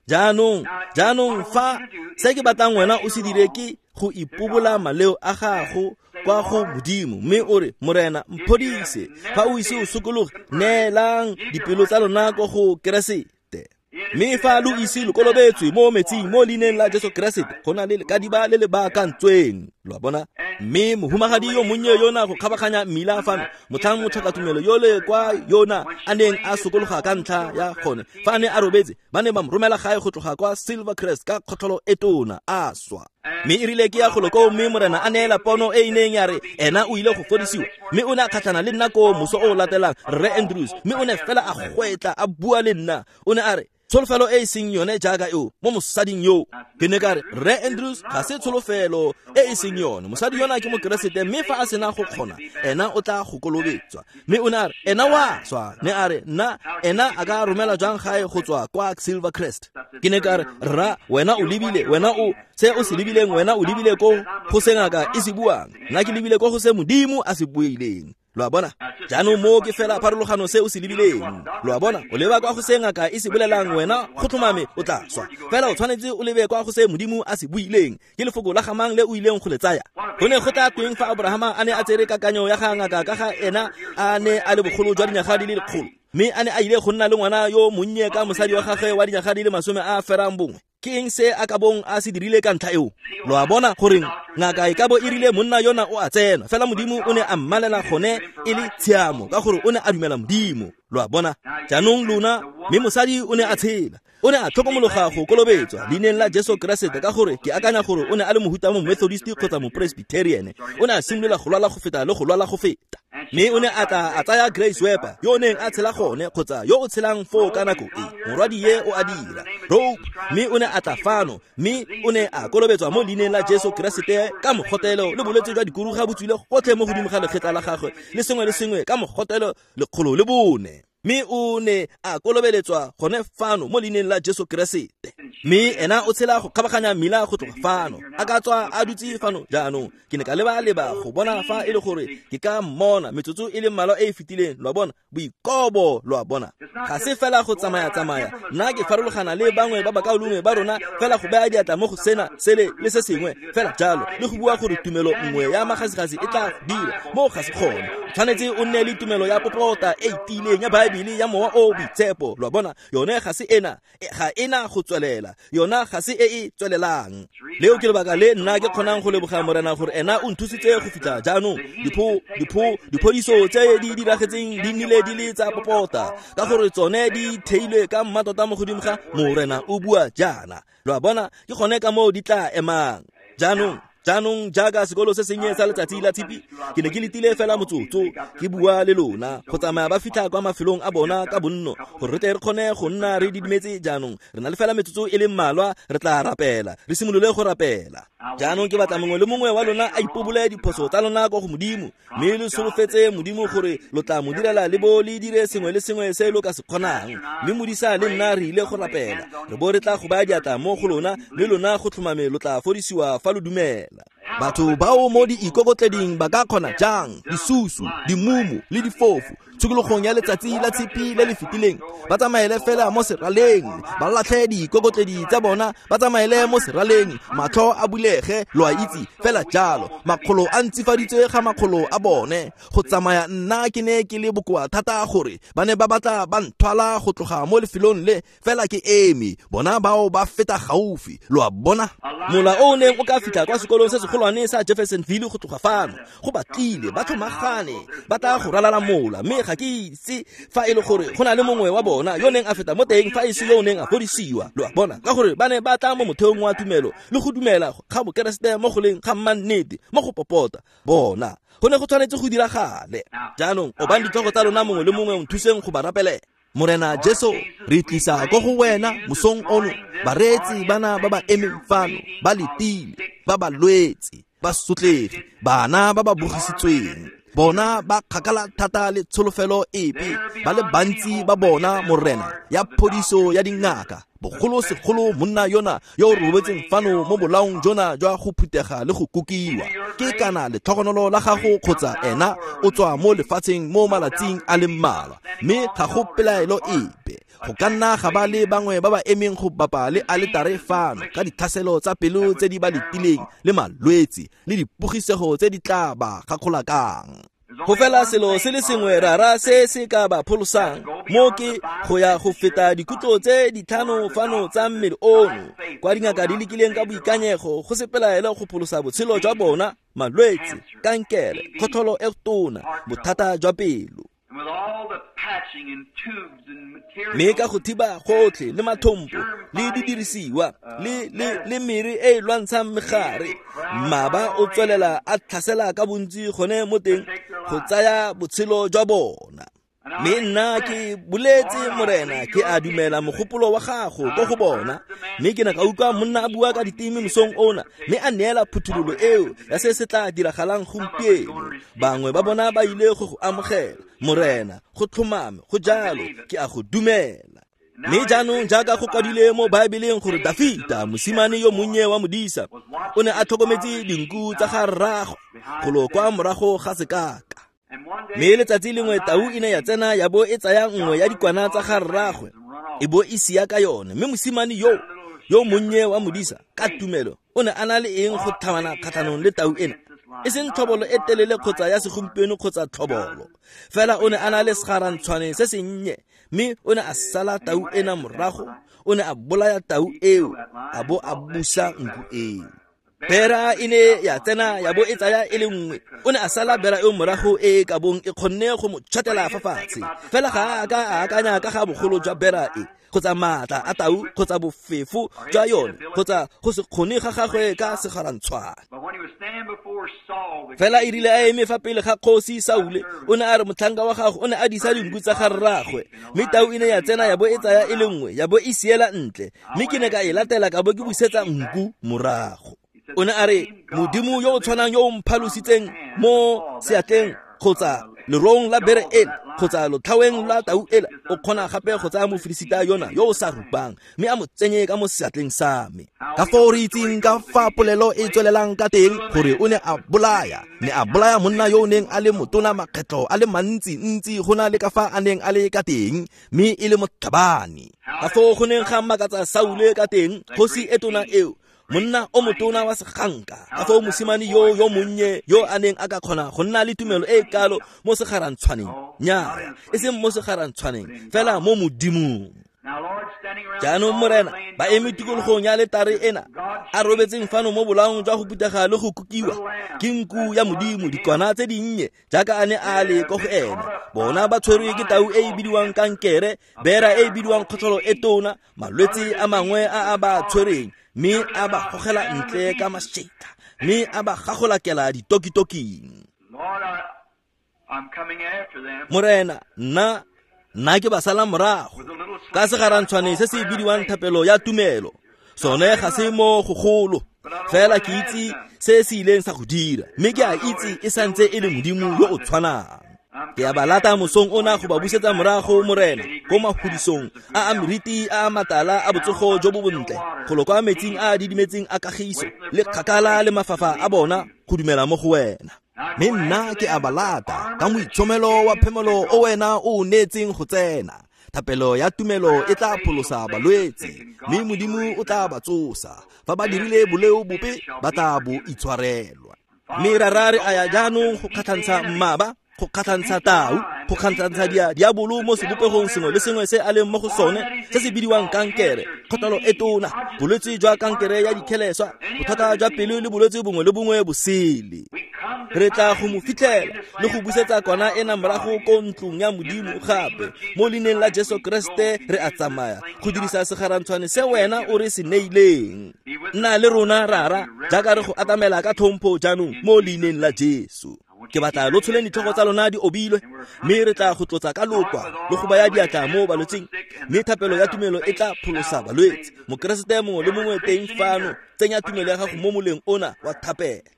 Jaanong, jaanong fa se ke batlang wena o se dire ke go ipobola maleo a gago kwa go Modimo, mme o re, Morena mphodise. Fa o ise o sokologe, neelang dipelo tsa lona ko go Keresete. Mme fa lo ise lo kolobetswe mo metsing mo leineng la Jesu Keresete, go na le lekadiba le le baakantsweng, lo a bona. Mme mohumagadi yo monnye yona go kgabaganya mmila fano, motlhang motlhokatumelo yole kwa yona a neng a sokologa ka ntlha ya gone, fa a ne a robetse, ba ne ba mo romela gae go tloga kwa Silvercrest ka kgotlholo e tona, a swa. Mme e rile ke ya golo koo, mme Morena a neela pono e e neng ya re ena o ile go fodisiwa, mme o ne a kgatlhana le nna koo moso o o latelang, Rre Andrews, mme o ne fela a gwetla a bua le nna. O ne a re, tsholofelo e e seng yone jaaka eo mo mosading yo. Ke ne ka re, Rre Andrews, ga se tsholofelo e e seng yone, mosadi yona ke mokeresete, mme fa a sena go kgona, ena o tla go kolobetswa. Mme o ne a re, ena wa swa. Ne a re, nna ena a ka romela jang gae go tswa kwa Silvercrest? Ke ne ka re, rra, wena o lebile, wena o se o se lebileng, wena o lebile ko go se ngaka e se buang, nna ke lebile ko go se Modimo a se buileng. Lo a bona? Jaanong mo ke fela pharologano se o se lebileng. Lo a bona? O leba kwa go se ngaka e se bolelang, wena go tlhomame o tla swa. Fela o tshwanetse o lebe kwa go se Modimo a se buileng. Ke lefoko la gamang le o ileng go le tsaya. Go ne go tla tweng fa Abrahama a ne a tsere kakanyo ya ga ngaka ka ga ena a ne a le bogolo jwa dinyaga di le lekgolo, mme a ne a ile go nna le ngwana yo monnye ka mosadi wa gagwe wa dinyaga di le masome a ferang bongwe? Ke eng se a ka bong a se dirile ka ntlha eo? Lo a bona goreng ngaka e ka bo e rile monna yona o a tsena, fela Modimo o ne a mmalela gone e le tshiamo ka gore o ne a dumela Modimo. Lo a bona? Jaanong lona, mme mosadi o ne a tshela. O ne a tlhokomologa go kolobetswa leineng la Jesu Keresete ka gore ke akanya gore o ne a le mohuta mo Methodist kgotsa mo Presbyterian. O ne a simolola go lwala go feta le go lwala go feta. Mme o ne a tla a tsaya Grace Weber yo o neng a tshela gone kgotsa yo o tshelang foo ka nako e, morwadi ye o a dira rope, mme o ne a tla fano, mme o ne a kolobetswa mo leineng la Jesu Keresete ka mogotelo le bolwetse jwa dikuruga bo tswile gotlhe mo godimo ga lekgetla la gagwe le sengwe le sengwe ka mogotelo lekgolo le bone. Mme o ne a kolobeletswa gone fano mo leineng la Jesu Keresete. Mme ena o tshela go kgabaganya mmila go tloga fano, a ka tswa a dutse fano jaanong. Ke ne ka leba-leba go bona fa e le gore ke ka mmona metsotso e le mmalwa e e fetileng. Lo a bona? Boikobo, lo a bona? Ga se fela go tsamaya-tsamaya. Nna ke farologana le bangwe ba bakaulengwe ba rona fela go baya diatla mo go sena sele le se sengwe fela jalo, le go bua gore tumelo nngwe ya magasigasi e tla dira mo ga se kgone. O tshwanetse o nne le tumelo ya popota e tiileng ya Baebele ya mowa o boitshepo. Lo a bona? Yone ga se ena, ga ena go tswelela, yona ga se e e tswelelang. Leo ke lebaka le nna ke kgonang go leboga Morena gore ena o nthusitse go fitlha jaanong. Dipho dipho diphodiso tse di diragetseng di nnile di le tsa popota, ka gore tsone di theilwe ka mmatota mo godimo ga Morena o bua jaana. Lo a bona? Ke gone ka moo di tla emang. Jaanong Jaanong jaaka sekolo se sennye sa letsatsi la tshipi, ke ne ke letile fela motsotso ke bua le lona go tsamaya ba fitlha kwa mafelong a bona ka bonno gore re tle re kgone go nna re didimetse. Jaanong re na le fela metsotso e le mmalwa, re tla rapela, re simolole go rapela. Jaanong ke batla mongwe le mongwe wa lona a ipobole diphoso tsa lona kwa go Modimo, mme le solofetse Modimo gore lo tla mo direla le bo le dire sengwe le sengwe se lo ka se kgonang. Mme modisa le nna re ile go rapela, re bo re tla go baya diatla mo go lona, mme lona go tlhomame lo tla fodisiwa fa lo dumela. Batho bao mo diikokotleding ba ka kgona jang, disusu, dimumu le difofu, tshokologong ya letsatsi la tshipi le le fetileng, ba tsamaele fela mo seraleng, ba latlhe diikokotledi tsa bona, ba tsamaele mo seraleng, matlho a bulege, lo a itse fela jalo, makgolo a ntsifaditswe ga makgolo a bone. Go tsamaya nna ke ne ke le bokoa thata gore ba ne ba batla ba nthwala go tloga mo lefelong le, fela ke eme, bona bao ba feta gaufi, lo a bona. Mola o neng o ka fitlha kwa sekolong se segolwane sa Jeffersonville go tloga fano, go batlile ba tlhomagane ba tla go ralala mola, mme ga ke itse fa e le gore go na le mongwe wa bona yo neng a feta mo teng fa e se yo neng a fodisiwa, lo a bona, ka gore ba ne ba tla mo motheong wa tumelo le go dumela ga bokeresete mo go leng ga mmannete mo go popota bona. Go ne go tshwanetse go diragale. Jaanong obang ditlhogo tsa lona mongwe le mongwe, nthuseng go ba rapelela. Morena Jesu, re tlisa ko go wena mosong ono bareetsi bana ba ba emeng fano, ba letile, ba ba lwetse, ba sotlegi, bana ba ba bogisitsweng. Bona ba kgakala thata le tsholofelo epe, ba le bantsi ba bona Morena ya phodiso ya dingaka, bogolo segolo monna yona yo o robetseng fano mo bolaong jona jwa go phutega le go kukiwa. Ke kana letlhogonolo la gago kgotsa ena o tswa mo lefatsheng mo malatsing a le mmalwa, mme ga go pelaelo epe. Go ka nna ga ba le bangwe ba ba emeng go bapa le aletare fano ka ditlhaselo tsa pelo tse di ba letileng le malwetse le dipogisego tse di tla ba gakgolakang. Go fela selo se le sengwe rara se se ka ba pholosang mo ke go ya go feta dikutlo tse ditlhano fano tsa mmele ono, kwa dingaka di lekileng ka boikanyego go se pelaelo go pholosa botshelo jwa bona, malwetse, kankere, kgotlholo e tona, bothata jwa pelo. Mme ka go thiba gotlhe le mathompo le didirisiwa le le le mere e e lwantshang megare, mmaba o tswelela a tlhasela ka bontsi gone mo teng go tsaya botshelo jwa bona. Mme nna ke boletse Morena, ke a dumela mogopolo wa gago ko go bona, mme ke ne ka utlwa monna a bua ka diteme mosong ona, mme a neela phuthololo eo ya se se tla diragalang gompieno. Bangwe ba bona ba ile go go amogela Morena, go tlhomame, go jalo, ke a go dumela. Mme jaanong jaaka go kwadile mo Baebeleng gore Dafita, mosimane yo monnye wa modisa, o ne a tlhokometse dinku tsa ga rraagwe golo kwa morago ga sekaka. Mme letsatsi lengwe tau e ne ya tsena ya bo e tsaya nngwe ya dikwana tsa ga rraagwe e bo e sia ka yone. Mme mosimane yo yo monnye wa modisa ka tumelo o ne a na le eng go tlhabana kgatlhanong le tau ena? E seng tlhobolo e telele kgotsa ya segompieno kgotsa tlhobolo, fela o ne a na le segarantshwane se sennye, mme o ne a sala tau ena morago, o ne a bolaya tau eo a bo a busa nku eo. Bera e ne ya tsena ya bo e tsaya e le nngwe, o ne a sala bera eo morago e ka bong e kgonne go mo tšhatela fa fatshe. Fela ga a ka a akanya ka ga bogolo jwa bera e, kgotsa maatla a tau, kgotsa bofefo jwa yone, kgotsa go se kgone ga gagwe ka segarantshwane. Fela e rile a eme fa pele ga kgosi Saule, o ne a re motlhanka wa gago o ne a disa dinku tsa ga rraagwe, mme tau e ne ya tsena ya bo e tsaya e le nngwe ya bo e siela ntle, mme ke ne ka e latela ka bo ke busetsa nku morago. O ne a re Modimo yo o tshwanang yo o mphalositseng mo seatleng kgotsa lerong la bere ela kgotsa lotlhaweng la tau ela, o kgona gape go tsaya mofilisita yona yo o sa rupang mme a mo tsenye ka mo seatleng sa me. Ka foo re itseng ka fa polelo e tswelelang ka teng gore o ne a bolaya, ne a bolaya monna yo o neng a le motona makgetlo a le mantsi-ntsi go na le ka fa a neng a le ka teng, mme e le motlhabani. Ka foo go neng ga makatsa Saule ka teng, kgosi e tona eo, monna o motona wa seganka, ka foo mosimane yo yo monnye yo a neng a ka kgona go nna le tumelo e kalo mo segarantshwaneng, nyaa, e seng mo segarantshwaneng, fela mo Modimong. Jaanong Morena, ba eme tikologong ya letare ena, a robetseng fano mo bolaong jwa go putega le go kukiwa ke nku ya Modimo, dikwana tse dinnye jaaka a ne a le ko go ena. Bona ba tshwerwe ke tau e e bidiwang kankere, bera e e bidiwang kgotlholo e tona, malwetse a mangwe a a ba tshwereng, mme a ba gogela ntle ka mašetla, mme a ba gagolakela ditokitoking. Morena, nna nna ke ba sala morago ka segarantshwane se se bidiwang thapelo ya tumelo. Sone ga se mo gogolo, fela ke itse se se ileng sa go dira, mme ke a itse e santse e le Modimo yo o tshwanang. Ke a ba lata mosong ona go ba busetsa morago, Morena, ko mafudisong a a meriti a a matala a botsogo jo bo bontle, golo kwa metsing a a didimetseng a kagiso le kgakala le mafafa a bona go dumela mo go wena. Mme nna ke a ba lata ka moitshomelo wa phemelo o wena o o neetseng go tsena. Thapelo ya tumelo e tla pholosa balwetse, mme Modimo o tla ba tsosa. Fa ba dirile boleo bope, ba tla bo itshwarelwa. Mme rara re a ya jaanong go kgatlhantsha mmaba, go kgatlhantsha tau, go kgatlhantsha dia diabolo mo sebopegong sengwe le sengwe se a leng mo go sone, se se bidiwang kankere, kgotalo e tona, bolwetse jwa kankere ya dikheleswa, bothata jwa pelo le bolwetse bongwe le bongwe bosele. Re tla go mo fitlhela le go busetsa kwana ena morago ko ntlong ya Modimo gape. Mo leineng la Jesu Kriste re a tsamaya go dirisa segarantshwane se wena o re se neileng. Nna le rona rara jaaka re go atamela ka tlhompho jaanong mo leineng la Jesu. Ke batla lo tsholeng ditlhogo tsa lona di obilwe, mme re tla go tlotsa ka lokwa le go baya diatla mo balwetseng, mme thapelo ya tumelo e tla pholosa balwetse. Mokeresete mongwe le mongwe teng fano, tsenya tumelo ya gago mo moleng ona wa thapelo.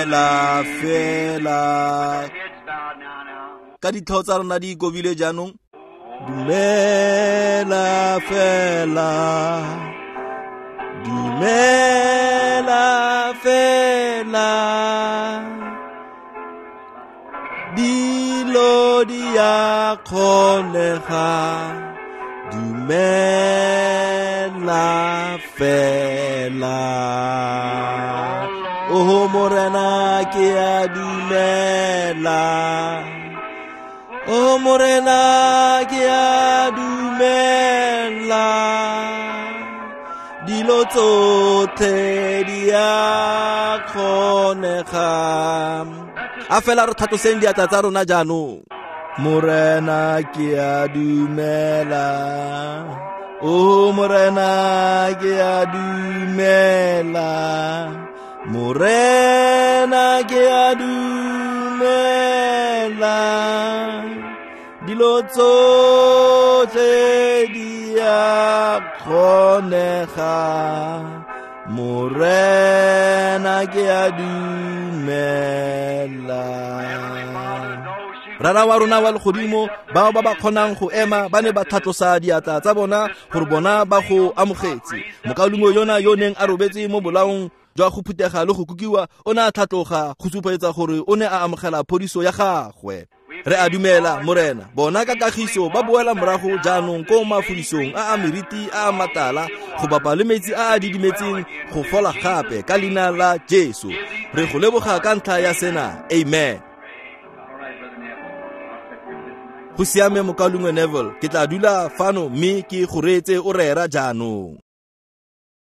Dumela fela. Ka ditlhogo tsa rona di ikobile jaanong. Dumela fela. Dumela fela. Dilo di a kgonega. Dumela fela. Oh Morena ke a dumela. Oh Morena ke a dumela. Dilo tsotlhe di a kgonega. A fela re tlhatloseng diatla tsa rona jaanong. Morena ke a dumela. Oh Morena ke a dumela. Morena ke a dumela. Dilo tsotlhe di a kgonega. Morena ke a dumela. Rara wa rona wa legodimo, bao ba ba kgonang go ema ba ne ba tlhatlosa diatla tsa bona gore bona ba go amogetse. Mokaulengwe yona yo neng a robetse mo bolaong jwa go phutega le go kukiwa o ne a tlhatloga go supetsa gore o ne a amogela phodiso ya gagwe. Re a dumela Morena, bona ka kagiso ba boela morago jaanong ko mafudisong a a meriti a a matala go bapa le metsi a a didimetseng go fola gape ka leina la Jesu. Re go leboga ka ntlha ya sena. Amen. Go siame mokaulengwe Neville, ke tla dula fano mme ke go reetse o rera jaanong.